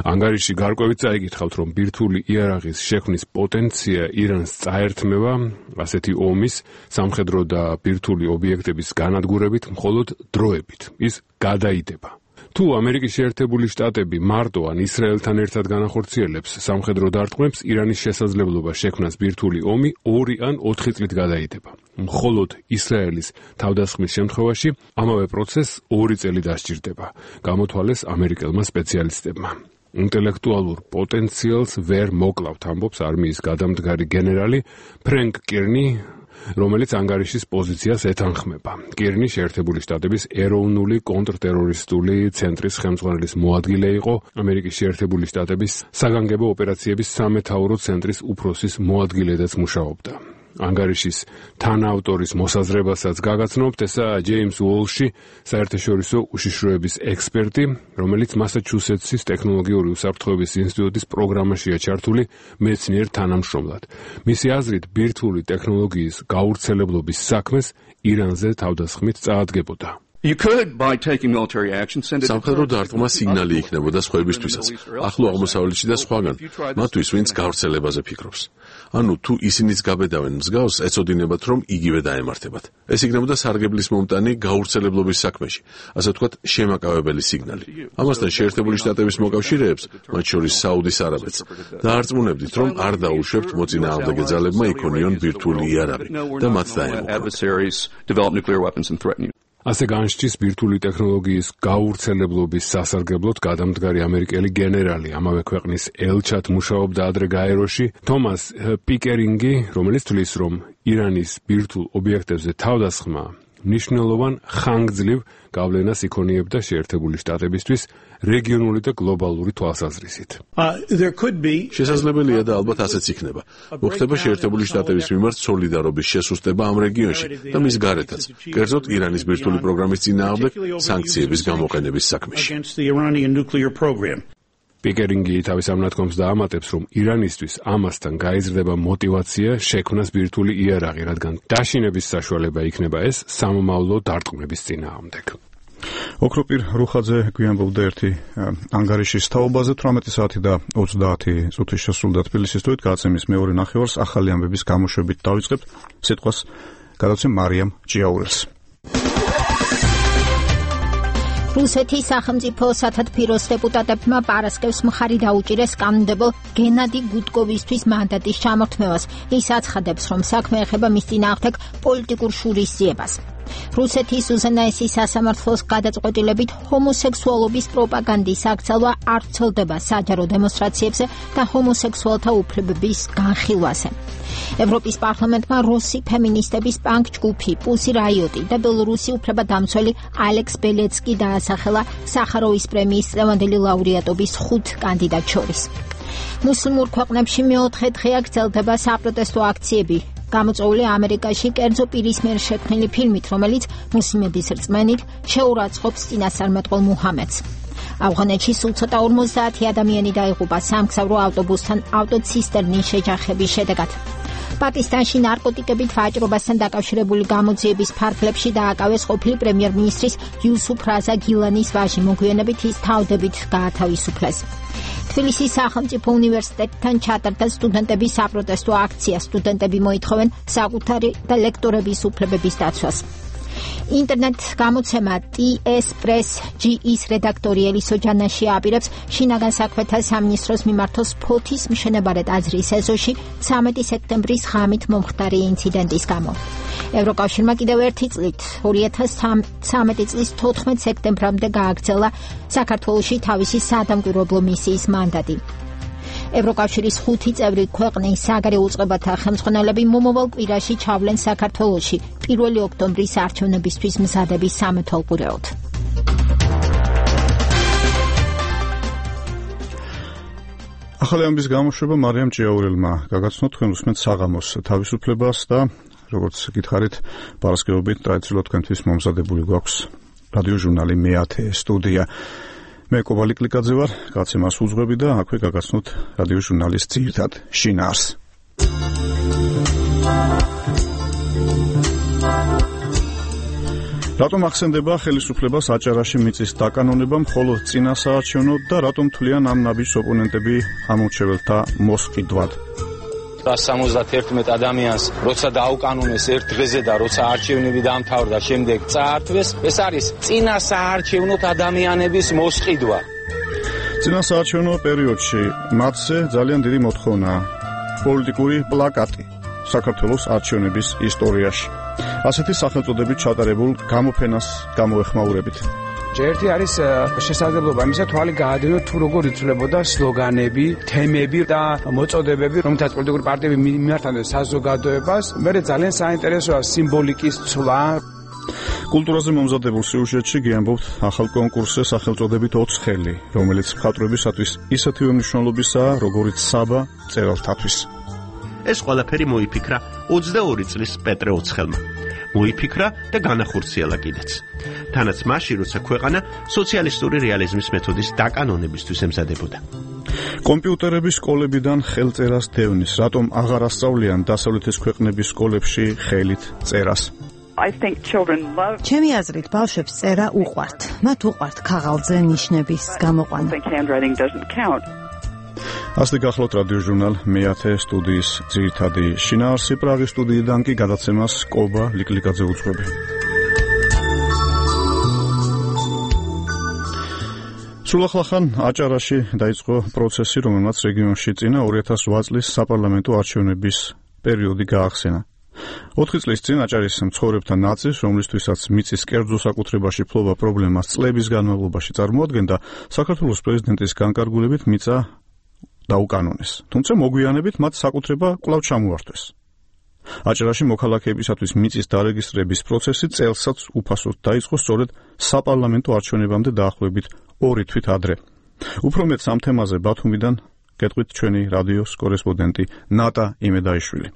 ანგარიში გარკვევით წაიკითხავთ, რომ ბირთვული იარაღის შექმნის პოტენცია ირანს წაერთმევა ასეთი ომის სამხედრო და ბირთვული ობიექტების განადგურებით მხოლოდ დროებით. ის გადაიდება. თუ ამერიკის შეერთებული შტატები მარტო ან ისრაელთან ერთად განახორციელებს სამხედრო დარტყმებს, ირანის შესაძლებლობა შექმნას ბირთვული ომი ორი ან ოთხი წლით გადაიდება. მხოლოდ ისრაელის თავდასხმის შემთხვევაში ამავე პროცესს ორი წელი დასჭირდება, გამოთვალეს ამერიკელმა სპეციალისტებმა. ინტელექტუალურ პოტენციალს ვერ მოკლავთ, ამბობს არმიის გადამდგარი გენერალი ფრენკ კირნი, რომელიც ანგარიშის პოზიციას ეთანხმება. კირნი შეერთებული შტატების ეროვნული კონტრტერორისტული ცენტრის ხელმძღვანელის მოადგილე იყო, ამერიკის შეერთებული შტატების საგანგებო ოპერაციების სამეთაურო ცენტრის უფროსის მოადგილედაც მუშაობდა. ანგარიშის თანაავტორის მოსაზრებასაც გაგაცნობთ, ესაა ჯეიმს უოლში, საერთაშორისო უშიშროების ექსპერტი, რომელიც მასაჩუსეტსის ტექნოლოგიური უსაფრთხოების ინსტიტუტის პროგრამაშია ჩართული მეცნიერ თანამშრომლად. მისი აზრით, ბირთვული ტექნოლოგიის გავრცელებლობის საქმეს ირანზე თავდასხმით წაადგებოდა. სამხედრო დარტყმა სიგნალი იქნებოდა სხვაებისთვისაც, ახლო აღმოსავლეთში და სხვაგან, მათთვის, ვინც გავრცელებაზე ფიქრობს. ანუ თუ ისინიც გაბედავენ მსგავს, ეცოდინებათ, რომ იგივე დაემართებათ. ეს იქნებოდა სარგებლის მომტანი გაურცელებლობის საქმეში, ასე ვთქვათ, შემაკავებელი სიგნალი. ამასთან შეერთებული შტატების მოკავშირეებს, მათ შორის საუდის არაბეთს, დაარწმუნებდით, რომ არ დაუშვებთ მოწინააღმდეგე ძალებმა იქონიონ ბირთვული იარაღი და მათ დაემუქრებთ. ასე განსჯის ბირთვული ტექნოლოგიის გაურცელებლობის სასარგებლოდ გადამდგარი ამერიკელი გენერალი ამავე ქვეყნის ელჩად მუშაობდა ადრე გაეროში თომას პიკერინგი, რომელიც თვლის, რომ ირანის ბირთვულ ობიექტებზე თავდასხმა მნიშვნელოვან ხანგრძლივ გავლენას იქონიებდა შეერთებული შტატებისთვის რეგიონული და გლობალური თვალსაზრისით. შესაძლებელია და ალბათ ასეც იქნება. მოხდება შეერთებული შტატების მიმართ სოლიდარობის შესუსტება ამ რეგიონში და მის გარეთაც, კერძოდ ირანის ბირთვული პროგრამის წინააღმდეგ სანქციების გამოყენების საქმეში. პიკერინგი თავის ამ ნათქვამს დაამატებს, რომ ირანისთვის ამასთან გაიზრდება мотивация შექმნას ბირთვული იარაღი, რადგან დაშინების საშუალება იქნება ეს სამომავლო დარტყმების წინააღმდეგ. ოქროპირ რუხაძე გვიანბობდა ერთი ანგარიშის თაობაზე თვრამეტი საათი და ოცდაათი წუთი შესრულდა თბილისის თვით გააცემის მეორე ნახევარს ახალი ამბების გამოშვებით დავიწყებთ სიტყვას გადავცემ მარიამ ჭიაურელს. რუსეთის სახელმწიფო სათათბიროს დეპუტატებმა პარასკევს მხარი დაუჭირეს კანონმდებელ გენადი გუდკოვისთვის მანდატის ჩამორთმევას. ის აცხადებს, რომ საქმე ეხება მის წინააღმდეგ პოლიტიკურ შურისძიებას. რუსეთის უზენაესი სასამართლოს გადაწყვეტილებით ჰომოსექსუალობის პროპაგანდის აკრძალვა არ ვრცელდება საჯარო დემონსტრაციებზე და ჰომოსექსუალთა უფლებების განხილვაზე. ევროპის პარლამენტმა რუსი ფემინისტების პანკ ჯგუფი პუსი რაიოტი და ბელორუსი უფლებადამცველი ალექს ბელეცკი დაასახელა სახაროვის პრემიის წლევანდელი ლაურეატობის ხუთ კანდიდატს შორის. მუსლიმურ ქვეყნებში მეოთხე დღეა გრძელდება საპროტესტო აქციები. გამოწვეული ამერიკაში კერძო პირის მიერ შექმნილი ფილმით, რომელიც მუსლიმების რწმენით შეურაცხყოფს წინასწარმეტყველ მუჰამედს. ავღანეთში სულ ცოტა ორმოცდაათი ადამიანი დაიღუპა სამგზავრო ავტობუსთან ავტოცისტერნის შეჯახების შედეგად. პაკისტანში ნარკოტიკებით ვაჭრობასთან დაკავშირებული გამოძიების ფარგლებში დააკავეს ყოფილი პრემიერ-მინისტრის იუსუფ რაზა გილანის ვაჟი, მოგვიანებით ის თავდებით გაათავისუფლეს. თბილისის სახელმწიფო უნივერსიტეტთან ჩატარდა სტუდენტების საპროტესტო აქცია. სტუდენტები მოითხოვენ საკუთარი და ლექტორების უფლებების დაცვას. ინტერნეტ გამოცემა ტი ეს პრეს ჯი ის რედაქტორი ელისო ჯანაში აპირებს შინაგან საქმეთა სამინისტროს მიმართოს ფოთის მშენებარე ტაძრის ეზოში ცამეტი სექტემბრის ღამით მომხდარი ინციდენტის გამო. ევროკავშირმა კიდევ ერთი წლით ორი ათას ცხრამეტი წლის თოთხმეტ სექტემბრამდე გააგრძელა საქართველოში თავისი საადამკვირვებლო მისიის მანდატი. ევროკავშირის ხუთი წევრი ქვეყნის საგარეო უწყებათა ხელმძღვანელები მომავალ კვირაში ჩავლენ საქართველოში პირველი ოქტომბრის არჩევნებისთვის მზადების სამეთვალყურეოდ. ახალი ამბის გამოშვება მარიამ ჭიაურელმა გაგაცნოთ თქვენ უსმენთ საღამოს თავისუფლებას და როგორც გითხარით პარასკევობით ტრადიციულად თქვენთვის მომზადებული გვაქვს რადიო ჟურნალი მეათე სტუდია. მე კობალი კლიკაძე ვარ, გაცემას უძღვები და აქვე გაგაცნოთ რადიო ჟურნალის ძირითად შინაარს. რატომ ახსენდება ხელისუფლებას აჭარაში მიწის დაკანონება მხოლოდ წინა საარჩევნოდ და რატომ თვლიან ამ ნაბიჯს ოპონენტები ამორჩეველთა მოსყიდვად? სამოცდაერთმეტ ადამიანს როცა დაუკანონეს ერთ დღეზე და როცა არჩევნები დამთავრდა შემდეგ წაართვეს, ეს არის წინა საარჩევნოთ ადამიანების მოსყიდვა. წინა საარჩევნო პერიოდში მათზე ძალიან დიდი მოთხოვნაა პოლიტიკური პლაკატი საქართველოს არჩევნების ისტორიაში. ასეთი სახელწოდებით ჩატარებულ გამოფენას გამოეხმაურებით. ერთი არის შესაძლებლობა იმისა, თვალი გაადევნოთ თუ როგორ იცვლებოდა სლოგანები, თემები და მოწოდებები, რომელთაც პოლიტიკური პარტიები მიმართავდნენ საზოგადოებას. მე ძალიან საინტერესოა სიმბოლიკის ცვლა. კულტურაზე მომზადებულ სიუჟეტში გიამბობთ ახალ კონკურსზე სახელწოდებით ოცხელი, რომელიც მხატვრებისათვის ისეთივე მნიშვნელობისაა, როგორიც საბა მწერალთათვის. ეს ყველაფერი მოიფიქრა ოცდაორი წლის პეტრე ოცხელმა. მოიფიქრა და განახორციელა კიდეც. თანაც მაშინ, როცა ქვეყანა სოციალისტური რეალიზმის მეთოდის დაკანონებისთვის ემზადებოდა. კომპიუტერების სკოლებიდან ხელწერას დევნის, რატომ აღარ ასწავლიან დასავლეთის ქვეყნების სკოლებში ხელით წერას? ჩემი აზრით ბავშვებს წერა უყვართ. მათ უყვართ ქაღალდზე ნიშნების გამოყვანა. ასეთი გახლავთ რადიო ჟურნალ მეათე სტუდიის ძირითადი შინაარსი. პრაღის სტუდიიდან კი გადაცემას კობა ლიკლიკაძე უძღვები. სულახლახან აჭარაში დაიწყო პროცესი, რომელმაც რეგიონში წინა ორი ათას ოთხ წლის საპარლამენტო არჩევნების პერიოდი გაახსენა. ოთხი წლის წინ აჭარის მცხოვრებთა ნაწილს, რომლისთვისაც მიწის კერძო საკუთრებაში ფლობა პრობლემას წლების განმავლობაში წარმოადგენდა, საქართველოს პრეზიდენტის განკარგულებით მიწა დაუკანონეს. თუმცა მოგვიანებით მათ საკუთრება კვლავ ჩამოართვეს. აჭარაში მოქალაქეებისათვის მიწის დარეგისტრების პროცესი წელსაც უფასოდ დაიწყო სწორედ საპარლამენტო არჩევნებამდე დაახლოებით ორი თვით ადრე. უფრო მეტ ამ თემაზე ბათუმიდან გეტყვით ჩვენი რადიოს კორესპონდენტი ნატა იმედაიშვილი.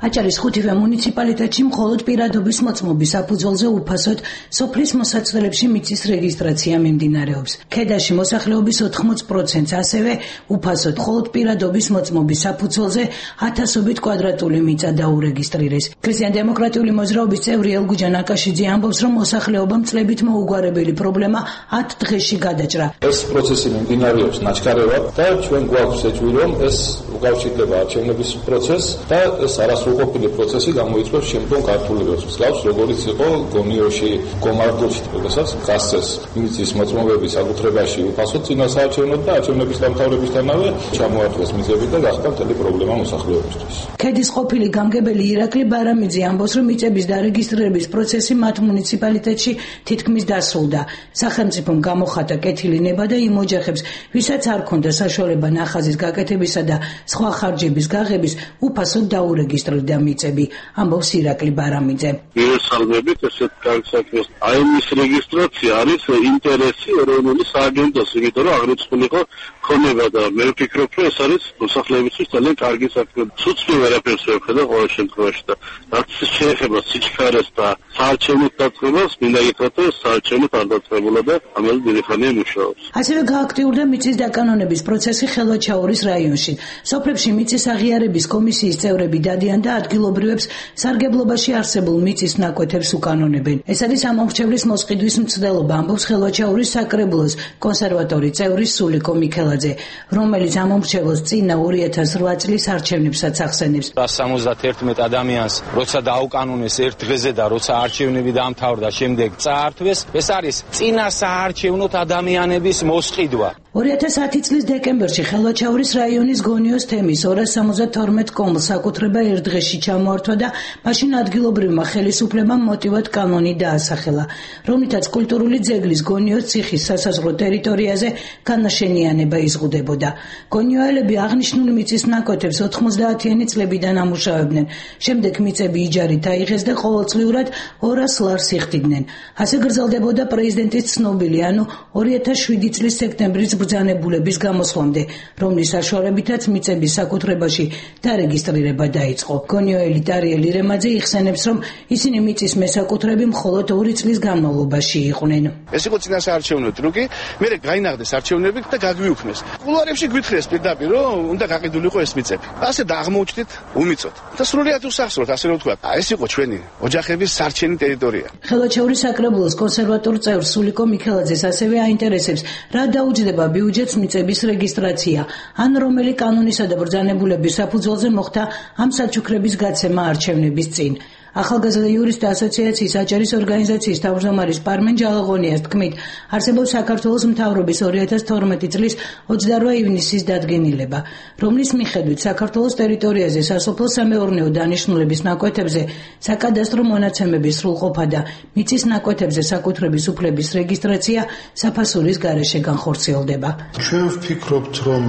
აჭარის ხუთივე მუნიციპალიტეტში მხოლოდ პირადობის მოწმობის საფუძველზე უფასოდ სოფლის მოსაცდელებში მიწის რეგისტრაცია მიმდინარეობს. ქედაში მოსახლეობის ოთხმოცი პროცენტს ასევე უფასოდ მხოლოდ პირადობის მოწმობის საფუძველზე ათასობით კვადრატული მიწა დაურეგისტრირეს. ქრისტიან-დემოკრატიული მოძრაობის წევრი ელგუჯან აკაშიძე ამბობს, რომ მოსახლეობამ წლებით მოუგვარებელი პრობლემა ათ დღეში გადაჭრა. ეს პროცესი მიმდინარეობს ნაჩქარევად და ჩვენ გვაქვს ეჭვი, რომ ეს უკავშირდება არჩევნების პროცესს და ეს არასრულ ყოფილი პროცესი გამოიწვევს შემდგომ გართულებებს. მსგავს როგორიც იყო გონიოში, გომარდოში, როდესაც გასცეს მიწის მოწმობების საკუთრებაში უფასოდ წინასაარჩევნოდ და არჩევნების დამთავრებისთანავე ჩამოართვეს მიწები და გახდა მთელი პრობლემა მოსახლეობისთვის. ქედის ყოფილი გამგებელი ირაკლი ბარამიძე ამბობს, რომ მიწების დარეგისტრირების პროცესი მათ მუნიციპალიტეტში თითქმის დასრულდა. სახელმწიფომ გამოხატა კეთილი ნება და იმ ოჯახებს, ვისაც არ ქონდა საშუალება ნახაზის გაკეთებისა და სხვა ხარჯების გაღების, უფასოდ დაურეგისტრირდა მიწები, ამბობს ირაკლი ბარამიძე. მივესალმებით, ესეთ განსაკუთრებით აი მის რეგისტრაცია არის ინტერესი ეროვნული სააგენტოს, იმიტომ რომ აღრიცხულიყო ქონება და მე ვფიქრობ, რომ ეს არის მოსახლეებისთვის ძალიან კარგი საქმე. ცუცმი ვერაფერს ვერ ხედავ ყოველ შემთხვევაში და რაც შეეხება სიჩქარეს და საარჩევნო დაწყებას, მინდა გითხრათ, რომ საარჩევნო არ დაწყებულა და ამაზე დიდი ხანია მუშაობს. ასევე გააქტიურდა მიწის დაკანონების პროცესი ხელვაჩაურის რაიონში. სოფლებში მიწის აღიარების კომისიის წევრები დადიან და ადგილობრივებს სარგებლობაში არსებულ მიწის ნაკვეთებს უკანონებენ. ეს არის ამომრჩევლის მოსყიდვის მცდელობა, ამბობს ხელვაჩაურის საკრებულოს კონსერვატორი წევრი სულიკო მიქელაძე, რომელიც ამომრჩევლს წინა ორი ათას ოთხ წლის არჩევნებსაც ახსენებს. სამოცდაერთმეტ ადამიანს როცა დაუკანონეს ერთ დღეზე და როცა არჩევნები დაამთავრდა, შემდეგ წაართვეს, ეს არის წინა საარჩევნოთ ადამიანების მოსყიდვა. ორი ათას ათი წლის დეკემბერში ხელვაჩაურის რაიონის გონიოს თემის ორას სამოცდათორმეტ კომლს საკუთრება ერთ დღეში ჩამოართვა და მაშინ ადგილობრივმა ხელისუფლებამ მოტივად კანონი დაასახელა, რომლითაც კულტურული ძეგლის გონიოს ციხის სასაზღვრო ტერიტორიაზე განაშენიანება იზღუდებოდა. გონიოელები აღნიშნული მიწის ნაკვეთებს ოთხმოცდაათიანი წლებიდან ამუშავებდნენ. შემდეგ მიწები იჯარით აიღეს და ყოველწლიურად ორას ლარს იხდიდნენ. ასე გრძელდებოდა პრეზიდენტის ცნობილი, ანუ ორი ათას შვიდი წლის სექტემბრის ბრძანებულების გამოსვლამდე, რომლის საშუალებითაც მიწების საკუთრებაში დარეგისტრირება დაიწყო. გონიოელი ტარიელი რემაძე იხსენებს, რომ ისინი მიწის მესაკუთრები მხოლოდ ორი წლის განმავლობაში იყვნენ. ეს იყო წინასაარჩევნო ტრუკი, მე გაინახდეს არჩევნები და გაგვიუქმეს. კულუარებში გვითხრეს პირდაპირ, რომ უნდა გაყიდულიყო ეს მიწები. ასე დაღმოუჩდით უმიწოდ. და სრულიად უსახსროთ, ასე რომ ვთქვა. ეს იყო ჩვენი ოჯახების სარჩენი ტერიტორია. ხელვაჩაურის საკრებულოს კონსერვატორ წევრ სულიკო მიქელაძეს ასევე აინტერესებს, რა დაუჯდება ბიუჯეტს მიწების რეგისტრაცია, ან რომელი კანონისა და ბრძანებულების საფუძველზე მოხდა ამ საჩუქრების გაცემა არჩევნების წინ. ახალგაზრდა იურისტთა ასოციაციის აჭარის ორგანიზაციის თავმჯდომარის პარმენ ჯალაღონიას თქმით, არსებობს საქართველოს მთავრობის ორი ათას თორმეტი წლის ოცდაორი ივნისის დადგენილება, რომლის მიხედვით საქართველოს ტერიტორიაზე სასოფლო-სამეურნეო დანიშნულების ნაკვეთებზე საკადასტრო მონაცემების სრულყოფა და მიწის ნაკვეთებზე საკუთრების უფლების რეგისტრაცია საფასურის გარეშე განხორციელდება. ჩვენ ვფიქრობთ, რომ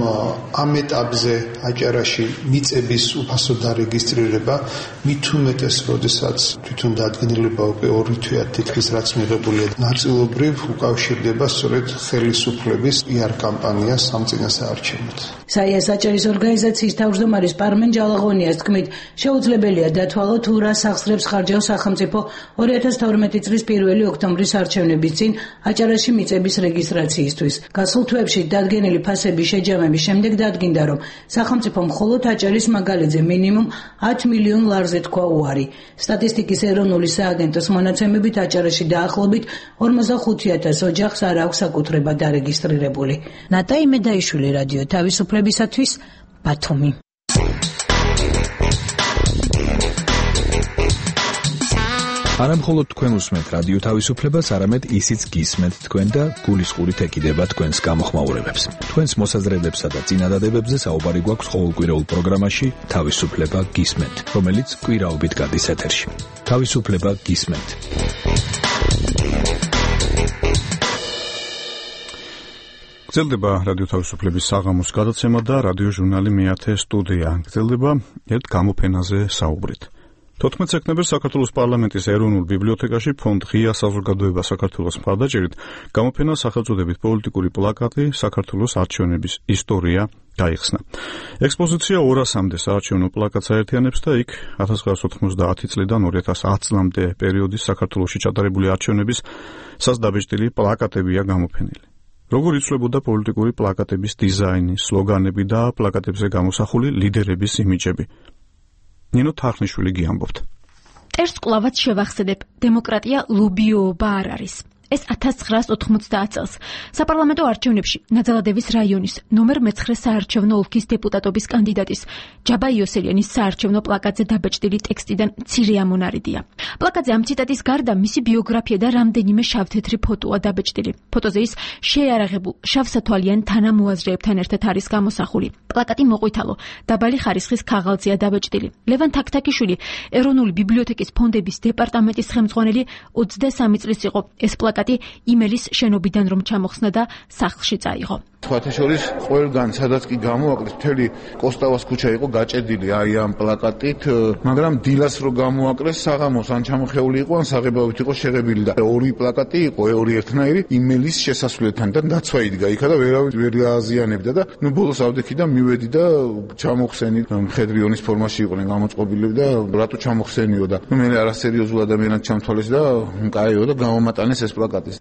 ამ ეტაპზე აჭარაში მიწების უფასო დარეგისტრირება მით უმეტეს როდესაც თვითონ დადგენილება უკვე ორი თვეა თითქმის რაც მიღებულია, ნაწილობრივ უკავშირდება სწორედ ხელისუფლების პიარ კამპანიას ამ წინასაარჩევნოდ. საიას აჭარის ორგანიზაციის თავმჯდომარის პარმენ ჯალაღონიას თქმით, შეუძლებელია დათვალოთ თუ რა სახსრებს ხარჯავს სახელმწიფო ორი ათას თორმეტი წლის პირველი ოქტომბრის არჩევნების წინ აჭარაში მიწების რეგისტრაციისთვის. გასულ თვეებში დადგენილი ფასების შეჯამების შემდეგ დადგინდა, რომ სახელმწიფო მხოლოდ აჭარის მაგალითზე მინიმუმ ათ მილიონ ლარზე თქვა უარი. სტატისტიკის ეროვნული სააგენტოს მონაცემებით აჭარაში დაახლოებით ორმოცდახუთი ათას ოჯახს არ აქვს საკუთრება დარეგისტრირებული. ნატა იმედაიშვილი, რადიო თავისუფლებისათვის, ბათუმი. არა მხოლოდ თქვენ უსმენთ რადიო თავისუფლებას, არამედ ისიც გისმენთ თქვენ და გულისყურით ეკიდება თქვენს გამოხმაურებებს. თქვენს მოსაზრებებსა და წინადადებებზე საუბარი გვაქვს ყოველკვირეულ პროგრამაში თავისუფლება გისმენთ, რომელიც კვირაობით გადის ეთერში. თავისუფლება გისმენთ. გრძელდება რადიო თავისუფლების საღამოს გადაცემა და რადიო ჟურნალი მეათე სტუდია. გრძელდება ერთ გამოფენაზე საუბრით. თოთხმეტ სექტემბერს საქართველოს პარლამენტის ეროვნულ ბიბლიოთეკაში ფონდ ღია საზოგადოება საქართველოს მხარდაჭერით გამოფენა სახელწოდებით პოლიტიკური პლაკატი საქართველოს არჩევნების ისტორია გაიხსნა. ექსპოზიცია ორასამდე საარჩევნო პლაკატს აერთიანებს და იქ ათას ცხრაასი ოთხმოცდაათი წლიდან ორი ათას ათ წლამდე პერიოდის საქართველოში ჩატარებული არჩევნების სასდაბეჭდილი პლაკატებია გამოფენილი. როგორ იცვლებოდა პოლიტიკური პლაკატების დიზაინი, სლოგანები და პლაკატებზე გამოსახული ლიდერების იმიჯები. ნინო თარხნიშვილი გიამბობთ. ტერს კლავაც შევახსენებ, დემოკრატია ლობიოობა არ არის. ეს ათას ცხრაასი ოთხმოცდაათ წელს საპარლამენტო არჩევნებში ნაძალადევის რაიონის ნომერ მეცხრე საარჩევნო ოლქის დეპუტატობის კანდიდატის ჯაბა იოსელიანის საარჩევნო პლაკატზე დაბეჭდილი ტექსტიდან მცირე ამონარიდია. პლაკატზე ამ ციტატის გარდა მისი ბიოგრაფია და რამდენიმე შავთეთრი ფოტოა დაბეჭდილი. ფოტოზე ის შეიარაღებულ შავსათვალიან თანამოაზრეებთან ერთად არის გამოსახული. პლაკატი მოყვითალო, დაბალი ხარისხის ქაღალდზეა დაბეჭდილი. ლევან თაქთაქიშვილი, ეროვნული ბიბლიოთეკის ფონდების დეპარტამენტის ხელმძღვანელი ოცდასამი წლის იყო. ეს პლაკატი იმელის შენობიდან რომ ჩამოხსნა და სახლში წაიღო. სხვათა შორის ყველგან სადაც კი გამოაკლეს მთელი კოსტავას ქუჩა იყო გაჭედილი აი ამ პლაკატით, მაგრამ დილას რო გამოაკლეს საღამოს ან ჩამოხეული იყო ან საღებავით იყო შეღებილი და ორი პლაკატი იყო ორი ერთნაირი იმელის შესასვლელთან და დაცვა იდგა იქა და ვერავინ ვერ აზიანებდა და ნუ ბოლოს ავდექი და მივედი და ჩამოხსენი მხედრიონის ფორმაში იყვნენ გამოწყობილები და რატო ჩამოხსენიო და ნუ მე არასერიოზულ ადამიანად ჩამთვალეს და კაიო და გამომატანეს ეს პლაკატი.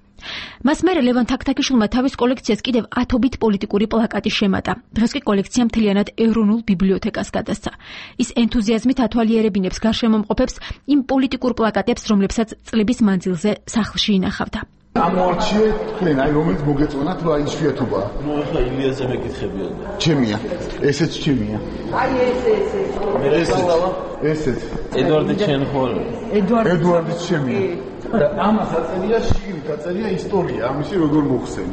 მას მერე ლევან თაქთაქიშვილმა თავის კოლექციას კიდევ ათობით პოლიტიკური პლაკატი შემატა. დღეს კი კოლექცია მთლიანად ეროვნულ ბიბლიოთეკას გადასცა. ის ენთუზიაზმით ათვალიერებინებს გარშემომყოფებს იმ პოლიტიკურ პლაკატებს, რომლებსაც წლების მანძილზე სახლში ინახავდა. ამოარჩიე თქვენ, აი რომელიც მოგეწონათ, რა ისვიათობა. ნუ ახლა ილიაზე მეკითხებიან. ჩემია. ესეც ჩემია. აი ეს ეს ეს. ესეც. ედვარდი ჩენხოლ. ედვარდი ედვარდი ჩემია. და ამას აწერია შიგნით, აწერია ისტორია, ამისი როგორ მოხსენ.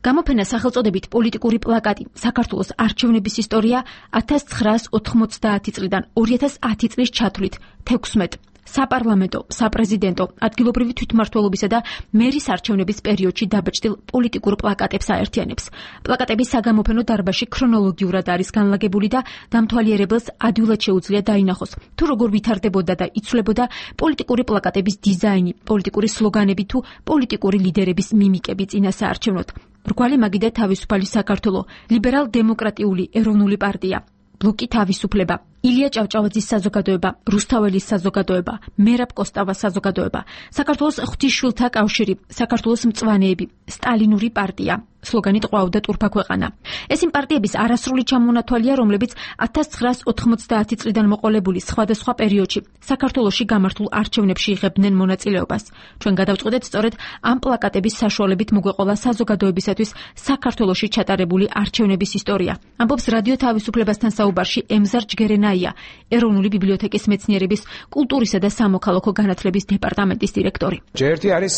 გამოფენა სახელწოდებით პოლიტიკური პლაკატი საქართველოს არჩევნების ისტორია ათას ცხრაასი ოთხმოცდაათი წლიდან ორი ათას ათი წლის ჩათვლით თექვსმეტ საპარლამენტო, საპრეზიდენტო, ადგილობრივი თვითმმართველობისა და მერის არჩევნების პერიოდში დაბეჭდილ პოლიტიკურ პლაკატებს აერთიანებს. პლაკატების საგამოფენო დარბაზში ქრონოლოგიურად არის განლაგებული და დამთვალიერებელს ადვილად შეუძლია დაინახოს, თუ როგორ ვითარდებოდა და იცვლებოდა პოლიტიკური პლაკატების დიზაინი, პოლიტიკური სლოგანები თუ პოლიტიკური ლიდერების მიმიკები წინა საარჩევნოდ. რგვალი მაგიდე თავისუფალი საქართველო, ლიბერალ-დემოკრატიული ეროვნული პარტია, ბლოკი თავისუფლება, ილია ჭავჭავაძის საზოგადოება, რუსთაველის საზოგადოება, მერაბ კოსტავას საზოგადოება, საქართველოს ღვთისმშვილთა კავშირი, საქართველოს მწვანეები, სტალინური პარტია. სლოგანით ყვავდა ტურფა ქვეყანა. ეს იმ პარტიების არასრული ჩამონათვალია, რომლებიც ათას ცხრაასი ოთხმოცდაათი წლიდან მოყოლებული სხვადასხვა პერიოდში საქართველოში გამართულ არჩევნებში იღებდნენ მონაწილეობას. ჩვენ გადავწყვეტეთ სწორედ ამ პლაკატების საშუალებით მოგვეყოლა საზოგადოებისათვის საქართველოში ჩატარებული არჩევნების ისტორია. ამბობს რადიო თავისუფლებასთან საუბარში ემზარ ჯგერენაია, ეროვნული ბიბლიოთეკის მეცნიერების კულტურისა და სამოქალაქო განათლების დეპარტამენტის დირექტორი. ერთი არის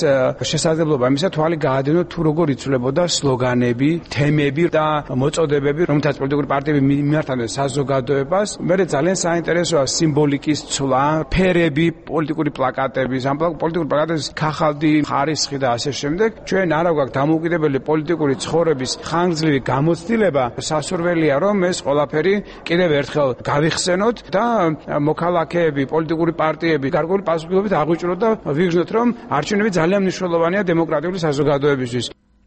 შესაძლებლობა იმისა თვალი გაადევნოთ თუ როგორ იცვლებოდა სლოგანები, თემები და მოწოდებები, რომელთაც პოლიტიკური პარტიები მიმართავდნენ საზოგადოებას. მე ძალიან საინტერესოა სიმბოლიკის ცვლა, ფერები, პოლიტიკური პლაკატების, ამ პოლიტიკური პლაკატების ქაღალდი, ხარისხი და ასე შემდეგ. ჩვენ არა გვაქვს დამოუკიდებელი პოლიტიკური ცხოვრების ხანგრძლივი გამოცდილება, სასურველია რომ ეს ყველაფერი კიდევ ერთხელ გავიხსენოთ და მოქალაქეები, პოლიტიკური პარტიები გარკვეული პასუხისმგებლობით აღვიჭროთ და ვიგრძნოთ რომ არჩევნები ძალიან მნიშვნელოვანია დემოკრატიული საზოგადოებისთვის.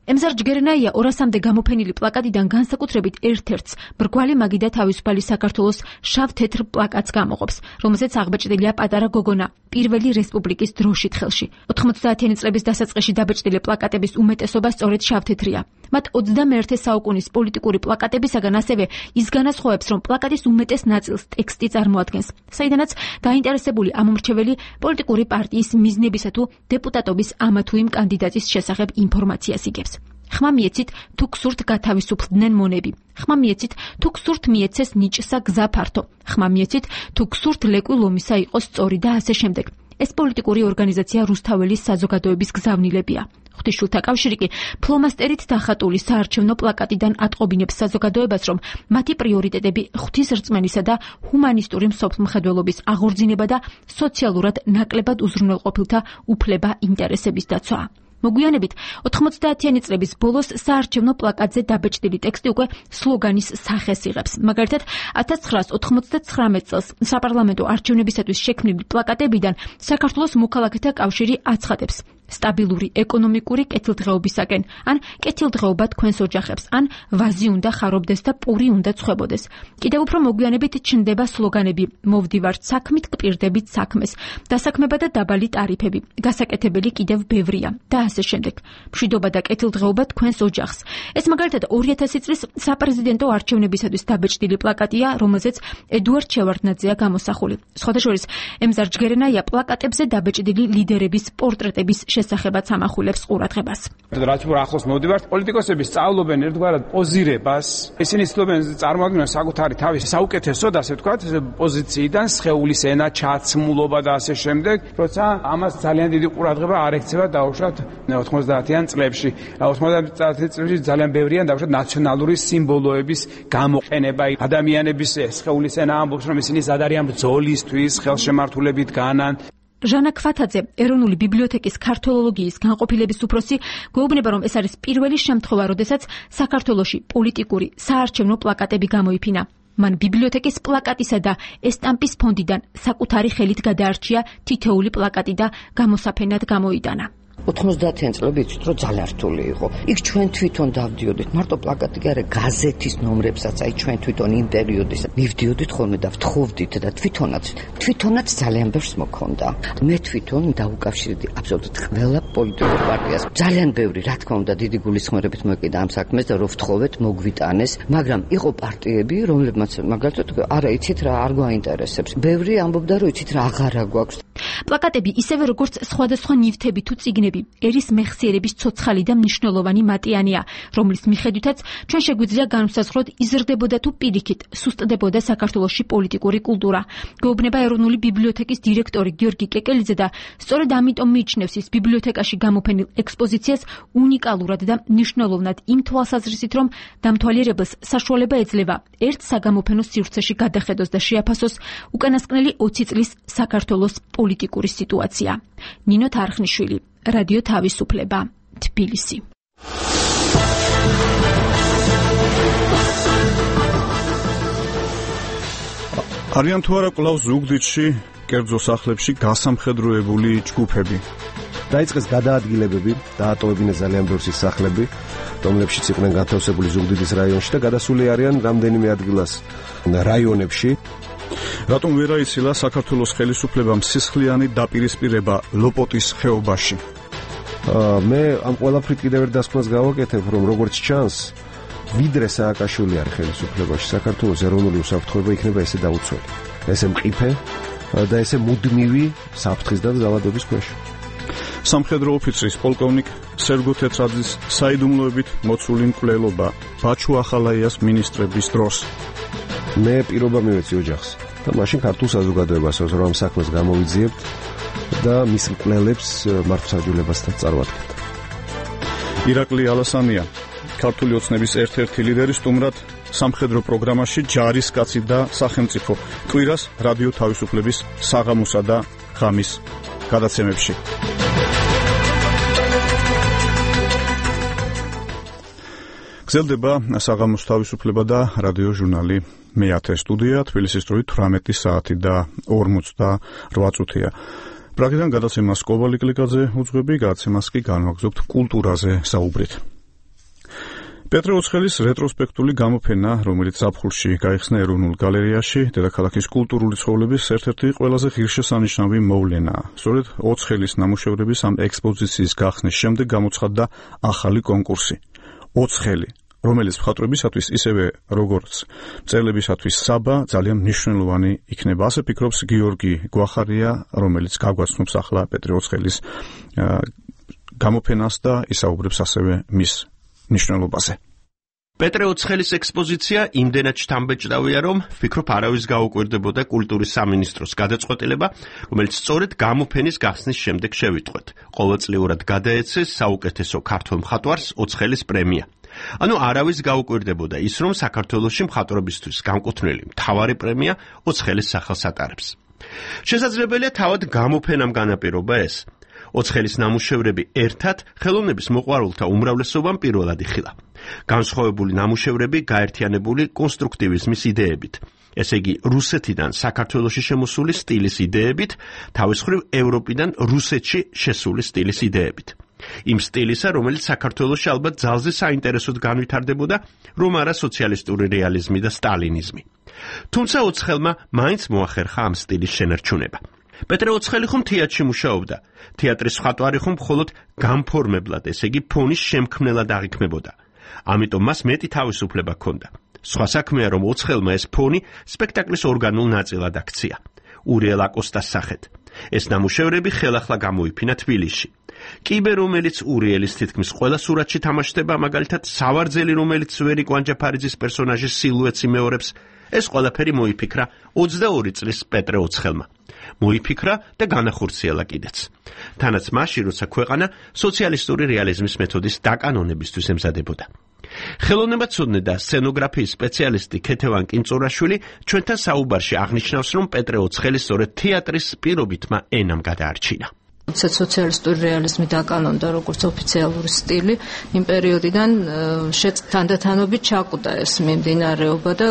ემზარ ჯგერენაია ორასამდე გამოფენილი პლაკატიდან განსაკუთრებით ერთ-ერთს ბრგვალი მაგი და თავისუფალი საქართველოს შავ-თეთრ პლაკატს გამოყოფს, რომელზეც აღბეჭდილია პატარა გოგონა პირველი რესპუბლიკის დროშით ხელში. ოთხმოცდაათიანი წლების დასაწყისში დაბეჭდილი პლაკატების უმეტესობა სწორედ შავ-თეთრია. მათ ოცდამეერთე საუკუნის პოლიტიკური პლაკატებისაგან ასევე ის განასხვავებს, რომ პლაკატის უმეტეს ნაწილს ტექსტი წარმოადგენს, საიდანაც დაინტერესებული ამომრჩეველი პოლიტიკური პარტიის მიზნებისა თუ დეპუტატობის ამა თუ იმ კანდიდატის შესახებ ინფორმაციას იგებს. ხმა მიეცით თუ გსურთ გათავისუფლდნენ მონები. ხმა მიეცით თუ გსურთ მიეცეს ნიჭსა გზა ფართო. ხმა მიეცით თუ გსურთ ლეკვი ლომისა იყოს სწორი და ასე შემდეგ. ეს პოლიტიკური ორგანიზაცია რუსთაველის საზოგადოების გზავნილებია. ღვთისმშობელთა კავშირი კი ფლომასტერით დახატული საარჩევნო პლაკატიდან ატყობინებს საზოგადოებას, რომ მათი პრიორიტეტები ღვთისრწმენისა და ჰუმანისტური მსოფლმხედველობის აღორძინება და სოციალურად ნაკლებად უზრუნველყოფილთა უფლება ინტერესების დაცვა. მოგვიანებით ოთხმოცდაათიანი წლების ბოლოს საარჩევნო პლაკატზე დაბეჭდილი ტექსტი უკვე სლოგანის სახეს იღებს. მაგალითად, ათას ცხრაას ოთხმოცდათხრამეტ წელს საპარლამენტო არჩევნებისათვის შექმნილი პლაკატებიდან საქართველოს მოქალაქეთა კავშირი აცხადებს: სტაბილური ეკონომიკური კეთილდღეობისაკენ, ან კეთილდღეობა თქვენს ოჯახებს, ან ვაზი უნდა ხარობდეს და პური უნდა ცხებოდეს. კიდევ უფრო მოგვიანებით ჩნდება სლოგანები: მოვდივართ საქმით, გპირდებით საქმეს, დასაქმება და დაბალი ტარიფები, გასაკეთებელი კიდევ ბევრია და ასე შემდეგ. მშვიდობა და კეთილდღეობა თქვენს ოჯახს. ეს მაგალითად ორი ათასი წლის საპრეზიდენტო არჩევნებისათვის დაბეჭდილი პლაკატია, რომელზეც ედუარდ შევარდნაძეა გამოსახული. სხვადასხვა ემზარ ჯგერენაია პლაკატებზე დაბეჭდილი ლიდერების პორტრეტების შესახებაც ამახვილებს ყურადღებას. რაც უფრო ახლოს მოვდივართ, პოლიტიკოსები სწავლობენ ერთგვარად პოზირებას. ისინი ცდილობენ წარმოადგენენ საკუთარი თავის საუკეთესო და ასე ვთქვათ, პოზიციიდან სხეულის ენა, ჩაცმულობა და ასე შემდეგ, როცა ამას ძალიან დიდი ყურადღება არ ექცევა დაუშვათ ოთხმოცდაათიან წლებში. ოთხმოცდაათიან წლებში ძალიან ბევრია დაუშვათ ნაციონალური სიმბოლოების გამოყენება. ადამიანების სხეულის ენა ამბობს, რომ ისინი ზად არიან ბრძოლისთვის, ხელშემართულებით განან. ჟანა ქვათაძე, ეროვნული ბიბლიოთეკის ქართველოლოგიის განყოფილების უფროსი, გვეუბნება, რომ ეს არის პირველი შემთხვევა, როდესაც საქართველოში პოლიტიკური საარჩევნო პლაკატები გამოიფინა. მან ბიბლიოთეკის პლაკატისა და ესტამპის ფონდიდან საკუთარი ხელით გადაარჩია თითოეული პლაკატი და გამოსაფენად გამოიტანა. ოთხმოცდაათიან წლები იცით, რომ ძალიან რთული იყო. იქ ჩვენ თვითონ დავდიოდით, მარტო პლაკატი კი არა, გაზეთის ნომრებსაც, აი ჩვენ თვითონ იმ პერიოდის მივდიოდით ხოლმე და ვთხოვდით და თვითონაც, თვითონაც ძალიან ბევრს მოქონდა. მე თვითონ დაუკავშირდი აბსოლუტურად ყველა პოლიტიკურ პარტიას. ძალიან ბევრი, რა თქმა უნდა, დიდი გულისხმობებით მოეკიდა ამ საქმეს და რომ ვთხოვეთ, მოგვიტანეს, მაგრამ იყო პარტიები, რომლებმაც მაგალითად, არა, იცით რა, არ გვაინტერესებს. ბევრი ამბობდა, რომ იცით რა, აღარა გვაქვს. პლაკატები ისევე როგორც სხვადასხვა ნივთები თუ წიგნები, ერის მეხსიერების ცოცხალი და მნიშვნელოვანი მატიანია, რომლის მიხედვითაც ჩვენ შეგვიძლია განვსაზღვროთ იზრდებოდა თუ პირიქით სუსტდებოდა საქართველოში პოლიტიკური კულტურა. გვეუბნება ეროვნული ბიბლიოთეკის დირექტორი გიორგი კეკელიძე და სწორედ ამიტომ მიიჩნევს ის ბიბლიოთეკაში გამოფენილ ექსპოზიციას უნიკალურად და მნიშვნელოვნად იმ თვალსაზრისით, რომ დამთვალიერებელს საშუალება ეძლევა ერთ საგამოფენო სივრცეში გადახედოს და შეაფასოს უკანასკნელი ოცი წლის საქართველოს პოლიტიკური სიტუაცია. ნინო თარხნიშვილი, რადიო თავისუფლება, თბილისი. არიან თუ არა კვლავ ზუგდიდში, კერძო სახლებში გასამხედროებული ჯგუფები? დაიწყეს გადაადგილებები, დაატოვებინეს ძალიან ბევრი სახლები, რომლებშიც იყვნენ განთავსებული ზუგდიდის რაიონში და გადასული არიან რამდენიმე ადგილას რაიონებში. რატომ ვერ აიცილა საქართველოს ხელისუფლებამ სისხლიანი დაპირისპირება ლოპოტის ხეობაში? მე ამ ყველაფრით კიდევ ერთ დასკვნას გავაკეთებ, რომ როგორც ჩანს, ვიდრე სააკაშვილი არის ხელისუფლებაში, საქართველოს ეროვნული უსაფრთხოება იქნება ესე დაუცველი, ესე მყიფე და ესე მუდმივი საფრთხის და ძალადობის ქვეშ. სამხედრო ოფიცრის პოლკოვნიკ სერგო თეთრაძის საიდუმლოებით მოცული მკვლელობა ბაჩუ ახალაიას მინისტრების დროს. მე პირობა მივეცი ოჯახს და მაშინ ქართულ საზოგადოებას, რომ ამ საქმეს გამოვიძიებთ და მის მკვლელებს მართლმსაჯულებასთან წარვადგეთ. ირაკლი ალასანია, ქართული ოცნების ერთ-ერთი ლიდერი, სტუმრად სამხედრო პროგრამაში ჯარისკაცი და სახელმწიფო, კვირას რადიო თავისუფლების საღამოსა და ღამის გადაცემებში. გრძელდება საღამოს თავისუფლება და რადიო ჟურნალი მეათე სტუდია, თბილისის დროით თვრამეტი საათი და ორმოცდაოთხ წუთია. პრაგიდან გადაცემას კოვალიკლიკაძე უძღვები, გადაცემას კი განვაგრძობთ კულტურაზე საუბრით. პეტრე ოცხელის რეტროსპექტული გამოფენა, რომელიც ზაფხულში გაიხსნა ეროვნულ გალერეაში, დედაქალაქის კულტურული ცხოვრების ერთ-ერთი ყველაზე ღირსშესანიშნავი მოვლენაა. სწორედ ოცხელის ნამუშევრების ამ ექსპოზიციის გახსნის შემდეგ გამოცხადდა ახალი კონკურსი. ოცხელი, რომელიც მხატვრებისათვის ისევე როგორც მწერლებისათვის საბა ძალიან მნიშვნელოვანი იქნება. ასე ფიქრობს გიორგი გვახარია, რომელიც გაგვაცნობს ახლა პეტრე ოცხელის გამოფენას და ისაუბრებს ასევე მის მნიშვნელობაზე. პეტრე ოცხელის ექსპოზიცია იმდენად შთამბეჭდავია, რომ ვფიქრობ არავის გაუკვირდებოდა კულტურის სამინისტროს გადაწყვეტილება, რომელიც სწორედ გამოფენის გახსნის შემდეგ შევიტყვეთ. ყოველწლიურად გადაეცეს საუკეთესო ქართველ მხატვარს ოცხელის პრემია. ანუ არავის გაუკვირდებოდა ის, რომ საქართველოში მხატვრობისთვის განკუთვნილი მთავარი პრემია ოცხელის სახელს ატარებს. შესაძლებელია თავად გამოფენამ განაპირობა ეს. ოცხელის ნამუშევრები ერთად ხელოვნების მოყვარულთა უმრავლესობამ პირველად იხილა. განსხვავებული ნამუშევრები გაერთიანებული კონსტრუქტივიზმის იდეებით, ესე იგი რუსეთიდან საქართველოში შემოსული სტილის იდეებით, თავის მხრივ ევროპიდან რუსეთში შესული სტილის იდეებით. იმ სტილისა, რომელიც საქართველოში ალბათ ძალზე საინტერესოდ განვითარდებოდა, რომ არა სოციალისტური რეალიზმი და სტალინიზმი. თუმცა ოცხელმა მაინც მოახერხა ამ სტილის შენარჩუნება. პეტრე ოცხელი ხომ თეატრში მუშაობდა. თეატრის მხატვარი ხომ მხოლოდ გამფორმებლად, ესე იგი ფონის შემქმნელად აღიქმებოდა. ამიტომ მას მეტი თავისუფლება ჰქონდა. სხვა საქმეა, რომ ოცხელმა ეს ფონი სპექტაკლის ორგანულ ნაწილად აქცია. ურიელ აკოსტას სახით. ეს ნამუშევრები ხელახლა გამოიფინა თბილისში. კიბე, რომელიც ურიელის თითქმის ყველა სურათში თამაშდება, მაგალითად სავარძელი, რომელიც ვერი კვანჯაფარიძის პერსონაჟის სილუეტს იმეორებს, ეს ყველაფერი მოიფიქრა ოცდაორი წლის პეტრე ოცხელმა. მოიფიქრა და განახორციელა კიდეც. თანაც მაშინ, როცა ქვეყანა სოციალისტური რეალიზმის მეთოდის დაკანონებისთვის ემზადებოდა. ხელოვნებაცოდნე და სცენოგრაფიის სპეციალისტი ქეთევან კინწორაშვილი ჩვენთან საუბარში აღნიშნავს, რომ პეტრე ოცხელი სწორედ თეატრის პირობითმა ენამ გადაარჩინა. სოციალისტური რეალიზმი დაკანონდა როგორც ოფიციალური სტილი, იმ პერიოდიდან თანდათანობით ჩაკვდა ეს მიმდინარეობა და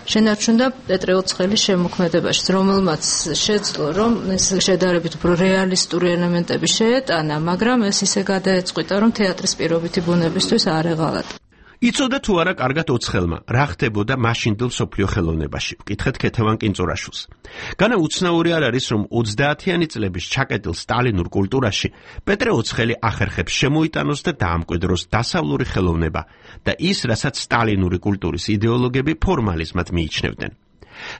შენარჩუნდა პეტრე ოცხელის შემოქმედებაში, რომელმაც შეძლო, რომ ეს შედარებით უფრო რეალისტური ელემენტები შეეტანა, მაგრამ ეს ისე გადაეწყვიტა, რომ თეატრის პირობითი ბუნებისთვის არ ეღალატა. იცოდა თუ არა კარგად ოცხელმა, რა ხდებოდა მაშინდელ მსოფლიო ხელოვნებაში. ვკითხეთ ქეთევან კინწორაშვილს. განა უცნაური არ არის, რომ ოცდაათიანი წლების ჩაკეტილ სტალინურ კულტურაში პეტრე ოცხელი ახერხებს შემოიტანოს და დაამკვიდროს დასავლური ხელოვნება და ის, რასაც სტალინური კულტურის იდეოლოგები ფორმალიზმად მიიჩნევდნენ.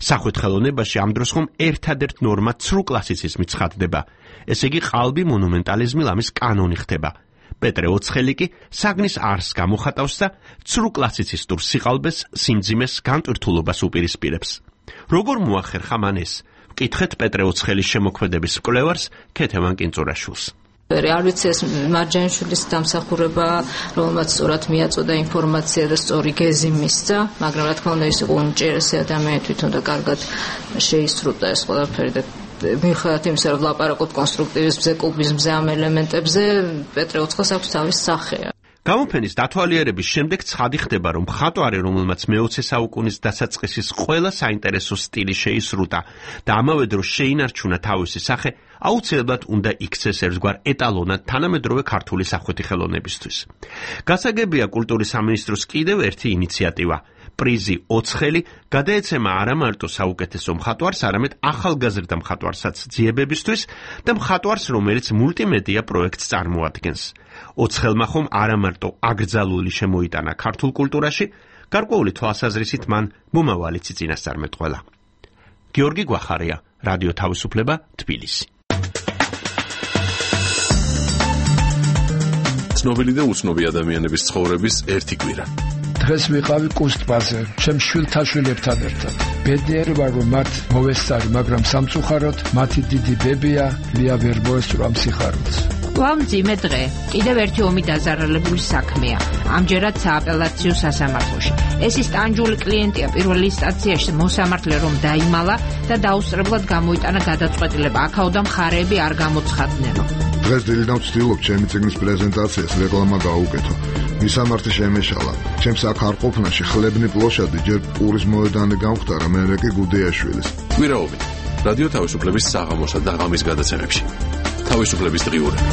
სახვით ხელოვნებაში ამ დროს ხომ ერთადერთ ნორმად ცრუ კლასიციზმი ცხადდება, ესე იგი ყალბი მონუმენტალიზმი ლამის კანონი ხდება. პეტრე ოცხელი კი საგნის არსს გამოხატავს და ცრუ კლასიცისტურ სიყალბეს, სიმძიმეს, განტვირთულობას უპირისპირებს. როგორ მოახერხა მან ეს? ვკითხეთ პეტრე ოცხელის შემოქმედების მკვლევარს ქეთევან კინწორაშვილს. არ ვიცი ეს მარჯანიშვილის დამსახურება, რომელმაც სწორად მიაწოდა ინფორმაცია და სწორი გეზი მისცა, მაგრამ რა თქმა უნდა ის იყო უნიჭიერესი ადამიანი თვითონ და კარგად შეისრულდა ეს ყველაფერი და მიუხედავად იმისა, რომ ვლაპარაკობ კონსტრუქტივიზმზე, კუბიზმზე, ამ ელემენტებზე, პეტრე ოცხელს აქვს თავის სახე. გამოფენის დათვალიერების შემდეგ ცხადი ხდება, რომ მხატვარი, რომელმაც მეოცე საუკუნის დასაწყისის ყველა საინტერესო სტილი შეისრულდა და ამავე დროს შეინარჩუნა თავისი სახე, აუცილებლად უნდა იქცეს ერთგვარ ეტალონად თანამედროვე ქართული სახვითი ხელოვნებისთვის. გასაგებია კულტურის სამინისტროს კიდევ ერთი ინიციატივა. პრიზი ოცხელი გადაეცემა არა მარტო საუკეთესო მხატვარს, არამედ ახალგაზრდა მხატვარსაც ძიებებისთვის და მხატვარს, რომელიც მულტიმედია პროექტს წარმოადგენს. ოცხელმა ხომ არა მარტო აკრძალული შემოიტანა ქართულ კულტურაში, გარკვეული თვალსაზრისით მან მომავალიც წინასწარმეტყველა. გიორგი გვახარია, რადიო თავისუფლება, თბილისი. ცნობილი და უცნობი ადამიანების ცხოვრების ერთი კვირა. დღეს ვიყავი კუსტბაზე, ჩემ შვილთა შვილებთან ერთად. ბედნიერი ვარ, რომ მათ მოვესწარი, მაგრამ სამწუხაროდ მათი დიდი ბებია ლია ვერ მოესწრო სიხარულს. ვამძიმე დღე, კიდევ ერთი ომი დაზარალებული საქმეა. ამჯერად სააპელაციო სასამართლოში. ეს ის ტანჯული კლიენტია პირველ ინსტანციაში მოსამართლე რომ დაიმალა და დაუსწრებლად გამოიტანა გადაწყვეტილება. აქაოდან მხარეები არ გამოცხადნენო. დღეს დილიდან ვცდილობ ჩემი წიგნის პრეზენტაციას რეკლამა გაუკეთო. მისამართი შემეშალა. ჩემს აქ არ ყოფნაში ხლებნი პლოშადი ჯერ პურის მოედანი გამختარა, მერე კი გუდეაშვილის. კვირაობით რადიო თავისუფლების საღამოსა და ღამის გადაცემებში. თავისუფლების დღიურები.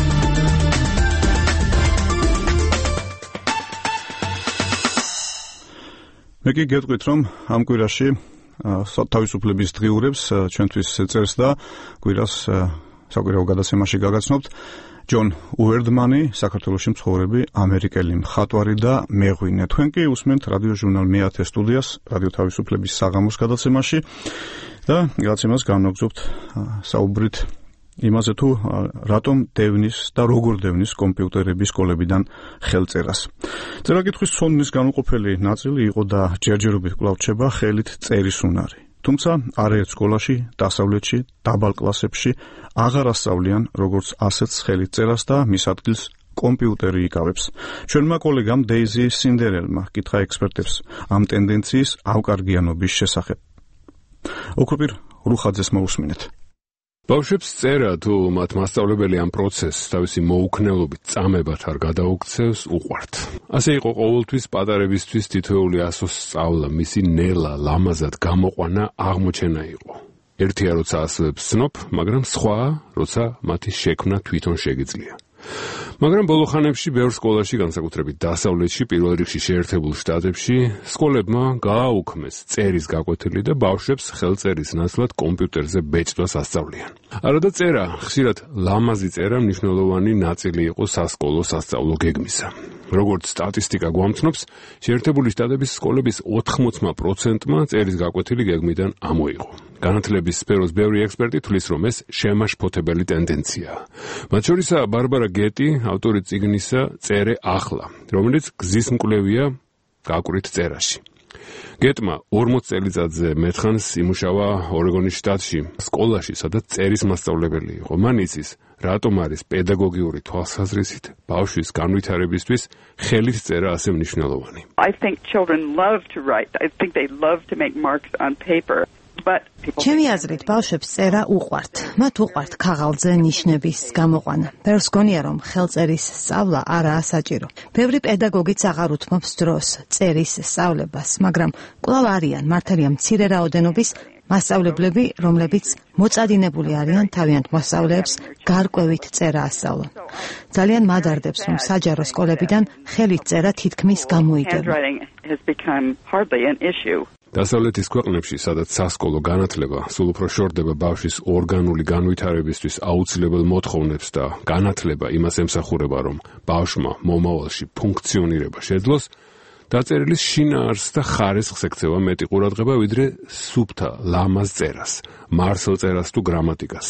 მე კი გეტყვით, რომ ამ კვირაში თავისუფლების დღიურებს ჩვენთვის წერს და კვირას საკვირაო გადაცემაში გაგაცნობთ ჯონ უერდმანი, საქართველოში მცხოვრები ამერიკელი მხატვარი და მეღვინე. თქვენ კი უსმენთ რადიო ჟურნალ მეათე სტუდიას, რადიო თავისუფლების საღამოს გადაცემაში და გადაცემას განვაგრძობთ საუბრით იმაზე თუ რატომ დევნის და როგორ დევნის კომპიუტერების სკოლებიდან ხელწერას. წერა-კითხვის ცოდნის განუყოფელი ნაწილი იყო და ჯერჯერობით კვლავ რჩება ხელით წერის უნარი. თუმცა არაერთ სკოლაში, დასავლეთში, დაბალ კლასებში აღარ ასწავლიან როგორც ასეთს ხელით წერას და მის ადგილს კომპიუტერი იკავებს. ჩვენმა კოლეგამ დეიზი სინდერელმა კითხა ექსპერტებს ამ ტენდენციის ავკარგიანობის შესახებ. ოქროპირ რუხაძეს მოусმინეთ. ბავშვებს წერა თუ მათ მასწავლებელი ამ პროცესს თავისი მოუქნელობით წამებად არ გადაუქცევს უყვართ. ასე იყო ყოველთვის პატარებისთვის თითოეული ასოს სწავლა, მისი ნელა, ლამაზად გამოყვანა აღმოჩენა იყო. ერთია როცა ასოებს ცნობ, მაგრამ სხვაა როცა მათი შექმნა თვითონ შეგიძლია. მაგრამ ბოლო ხანებში ბევრ სკოლაში, განსაკუთრებით დასავლეთში, პირველ რიგში შეერთებულ შტატებში, სკოლებმა გააუქმეს წერის გაკვეთილი და ბავშვებს ხელწერის ნაცვლად კომპიუტერზე ბეჭდვას ასწავლიან. არადა წერა, ხშირად ლამაზი წერა მნიშვნელოვანი ნაწილი იყო სასკოლო სასწავლო გეგმისა. როგორც სტატისტიკა გვამცნობს, შეერთებული შტატების სკოლების ოთხმოცდა პროცენტმა წერის გაკვეთილი გეგმიდან ამოიღო. განათლების სფეროს ბევრი ექსპერტი თვლის, რომ ეს შემაშფოთებელი ტენდენციაა. მათ შორისაა ბარბარა გეტი, ავტორი წიგნისა წერე ახლა, რომელიც გზის მკვლევია გაკვრით წერაში. გეტმა ორმოც წელიწადზე მეთხანს იმუშავა ორეგონის შტატში, სკოლაში, სადაც წერის მასწავლებელი იყო. მან იცის, რატომ არის პედაგოგიური თვალსაზრისით ბავშვის განვითარებისთვის ხელით წერა ასე მნიშვნელოვანი. I think children love to write. I think they love to make marks on paper. ჩემი აზრით, ბავშვებს წერა უყვართ. მათ უყვართ ქაღალდზე ნიშნების გამოყვანა. ბევრს გონია, რომ ხელწერის სწავლა არაა საჭირო. ბევრი პედაგოგიც აღარ უთმობს დროს წერის სწავლებას, მაგრამ კვლავ არიან, მართალია მცირე რაოდენობის მასწავლებლები, რომლებიც მოწადინებული არიან თავიანთ მოსწავლეებს გარკვევით წერა ასწავლონ. ძალიან მადარდებს, რომ საჯარო სკოლებიდან ხელით წერა თითქმის გამოიგება. დასავლეთის ქვეყნებში, სადაც სასკოლო განათლება სულ უფრო შორდება ბავშვის ორგანული განვითარებისთვის აუცილებელ მოთხოვნებს და განათლება იმას ემსახურება, რომ ბავშვმა მომავალში ფუნქციონირება შეძლოს, დაწერილის შინაარსს და ხარისხს ექცევა მეტი ყურადღება, ვიდრე სუფთა ლამაზ წერას, მარსელ წერას თუ გრამატიკას.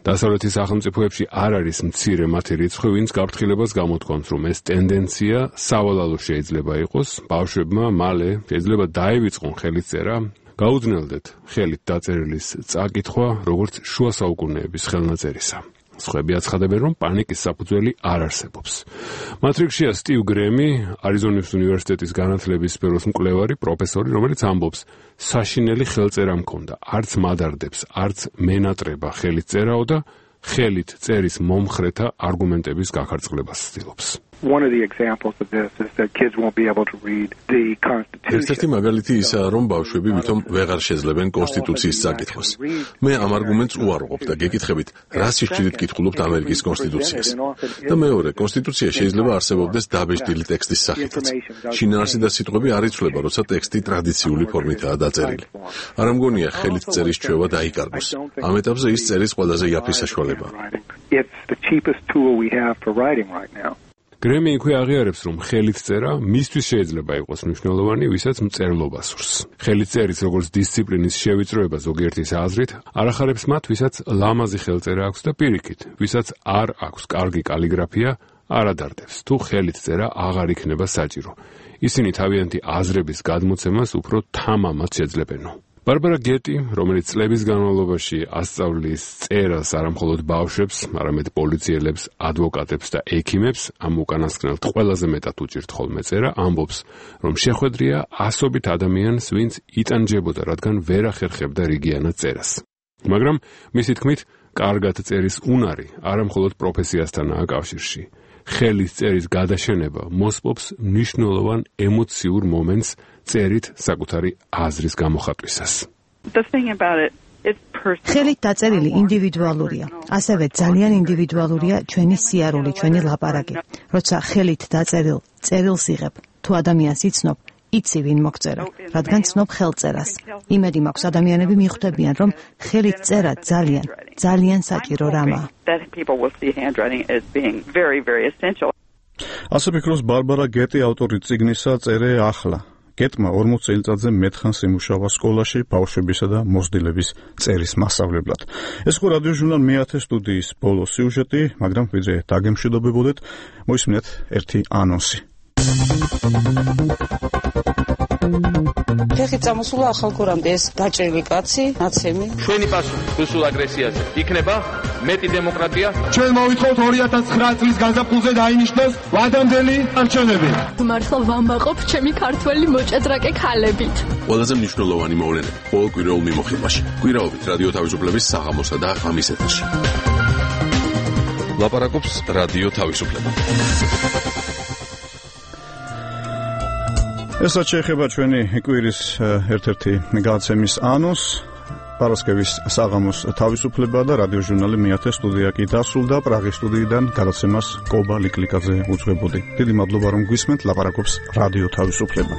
დასავლეთის სახელმწიფოებში არ არის მცირე მათი რიცხვი, ვინც გაფრთხილებას გამოთქვამს, რომ ეს ტენდენცია სავალალო შეიძლება იყოს, ბავშვებმა მალე შეიძლება დაივიწყონ ხელით წერა, გაუძნელდეთ ხელით დაწერილის წაკითხვა, როგორც შუა საუკუნეების ხელნაწერისა. სხვები აცხადებენ, რომ პანიკის საფუძველი არ არსებობს. მათ რიგშია სტივ გრემი, არიზონის უნივერსიტეტის განათლების სფეროს მკვლევარი, პროფესორი, რომელიც ამბობს, საშინელი ხელწერა მქონდა, არც მადარდებს, არც მენატრება ხელით წერაო და ხელით წერის მომხრეთა არგუმენტების გაქარწყლებას ცდილობს. One of the examples of this is that kids won't be able to read the Constitution. ერთ-ერთი მაგალითი ისაა, რომ ბავშვები ვითომ ვეღარ შეძლებენ კონსტიტუციის წაკითხვას. მე ამ არგუმენტს უარყოფ და გეკითხებით, რა სიხშირით კითხულობთ ამერიკის კონსტიტუციას. და მეორე, კონსტიტუცია შეიძლება არსებობდეს დაბეჭდილი ტექსტის სახითაც. შინაარსი და სიტყვები არ იცვლება, როცა ტექსტი ტრადიციული ფორმითაა დაწერილი. არ ამგონია ხელით წერის ჩვევა დაიკარგოს. ამ ეტაპზე ის წერის ყველაზე იაფი საშუალებაა. It's the cheapest tool we have for writing right now. გრემი იქვე აღიარებს, რომ ხელით წერა მისთვის შეიძლება იყოს მნიშვნელოვანი, ვისაც მწერლობა სურს. ხელით წერის როგორც დისციპლინის შევიწროება ზოგიერთის აზრით არ ახარებს მათ, ვისაც ლამაზი ხელწერა აქვს და პირიქით, ვისაც არ აქვს კარგი კალიგრაფია, არ ადარდებს, თუ ხელით წერა აღარ იქნება საჭირო. ისინი თავიანთი აზრების გადმოცემას უფრო თამამად შეძლებენო. ბარბარა გეტი, რომელიც წლების განმავლობაში ასწავლის წერას არამხოლოდ ბავშვებს, არამედ პოლიციელებს, ადვოკატებს და ექიმებს, ამ უკანასკნელთ ყველაზე მეტად უჭირთ ხოლმე წერა, ამბობს, რომ შეხვედრია ასობით ადამიანს, ვინც იტანჯებოდა, რადგან ვერ ახერხებდა რიგიანად წერას. მაგრამ მისი თქმით, კარგად წერის უნარი არამხოლოდ პროფესიასთანაა კავშირში. ხელის წერის გადაშენება მოსპობს მნიშვნელოვან ემოციურ მომენტს წერით საკუთარი აზრის გამოხატვისას. ხელით დაწერილი ინდივიდუალურია. ასევე ძალიან ინდივიდუალურია ჩვენი სიარული, ჩვენი ლაპარაკი. როცა ხელით დაწერილ წერილს იღებ, თუ ადამიანს იცნობ, იცი ვინ მოგწერა, რადგან ცნობ ხელწერას. იმედი მაქვს ადამიანები მიხვდებიან, რომ ხელით წერა ძალიან, ძალიან საჭირო რამაა. ასე ფიქრობს ბარბარა გეტი, ავტორი წიგნისა წერე ახლა. გეტმა ორმოც წელიწადზე მეტხანს იმუშავა სკოლაში ბავშვებისა და მოსდილების წერის მასწავლებლად. ეს იყო რადიო ჟურნალ მეათე სტუდიის ბოლო სიუჟეტი, მაგრამ ვიდრე დაგემშვიდობებოდეთ, მოისმინეთ ერთი ანონსი. ფეხი წამოსულა ახალ გორამდე ეს დაჭრილი კაცი, ნაცემი. ჩვენი პასუხი რუსულ აგრესიაზე იქნება მეტი დემოკრატია. ჩვენ მოვითხოვთ ორი ათას ცხრა წლის გაზაფხულზე დაინიშნოს ვადამდელი არჩევნები. მართლა ვამბაყობ ჩემი ქართველი მოჭადრაკე ქალებით. ყველაზე მნიშვნელოვანი მოვლენები ყოველ კვირაულ მიმოხილვაში. კვირაობით რადიო თავისუფლების საღამოსა და ღამის ეთერში. ლაპარაკობს რადიო თავისუფლება. ესაც შეეხება ჩვენი კვირის ერთ-ერთი გადაცემის ანონს. პარასკევის საღამოს თავისუფლება და რადიო ჟურნალი მეათე სტუდია კი დასრულდა. პრაღის სტუდიიდან გადაცემას კობა ლიკლიკაძე უძღვებოდი. დიდი მადლობა რომ გვისმენთ. ლაპარაკობს რადიო თავისუფლება.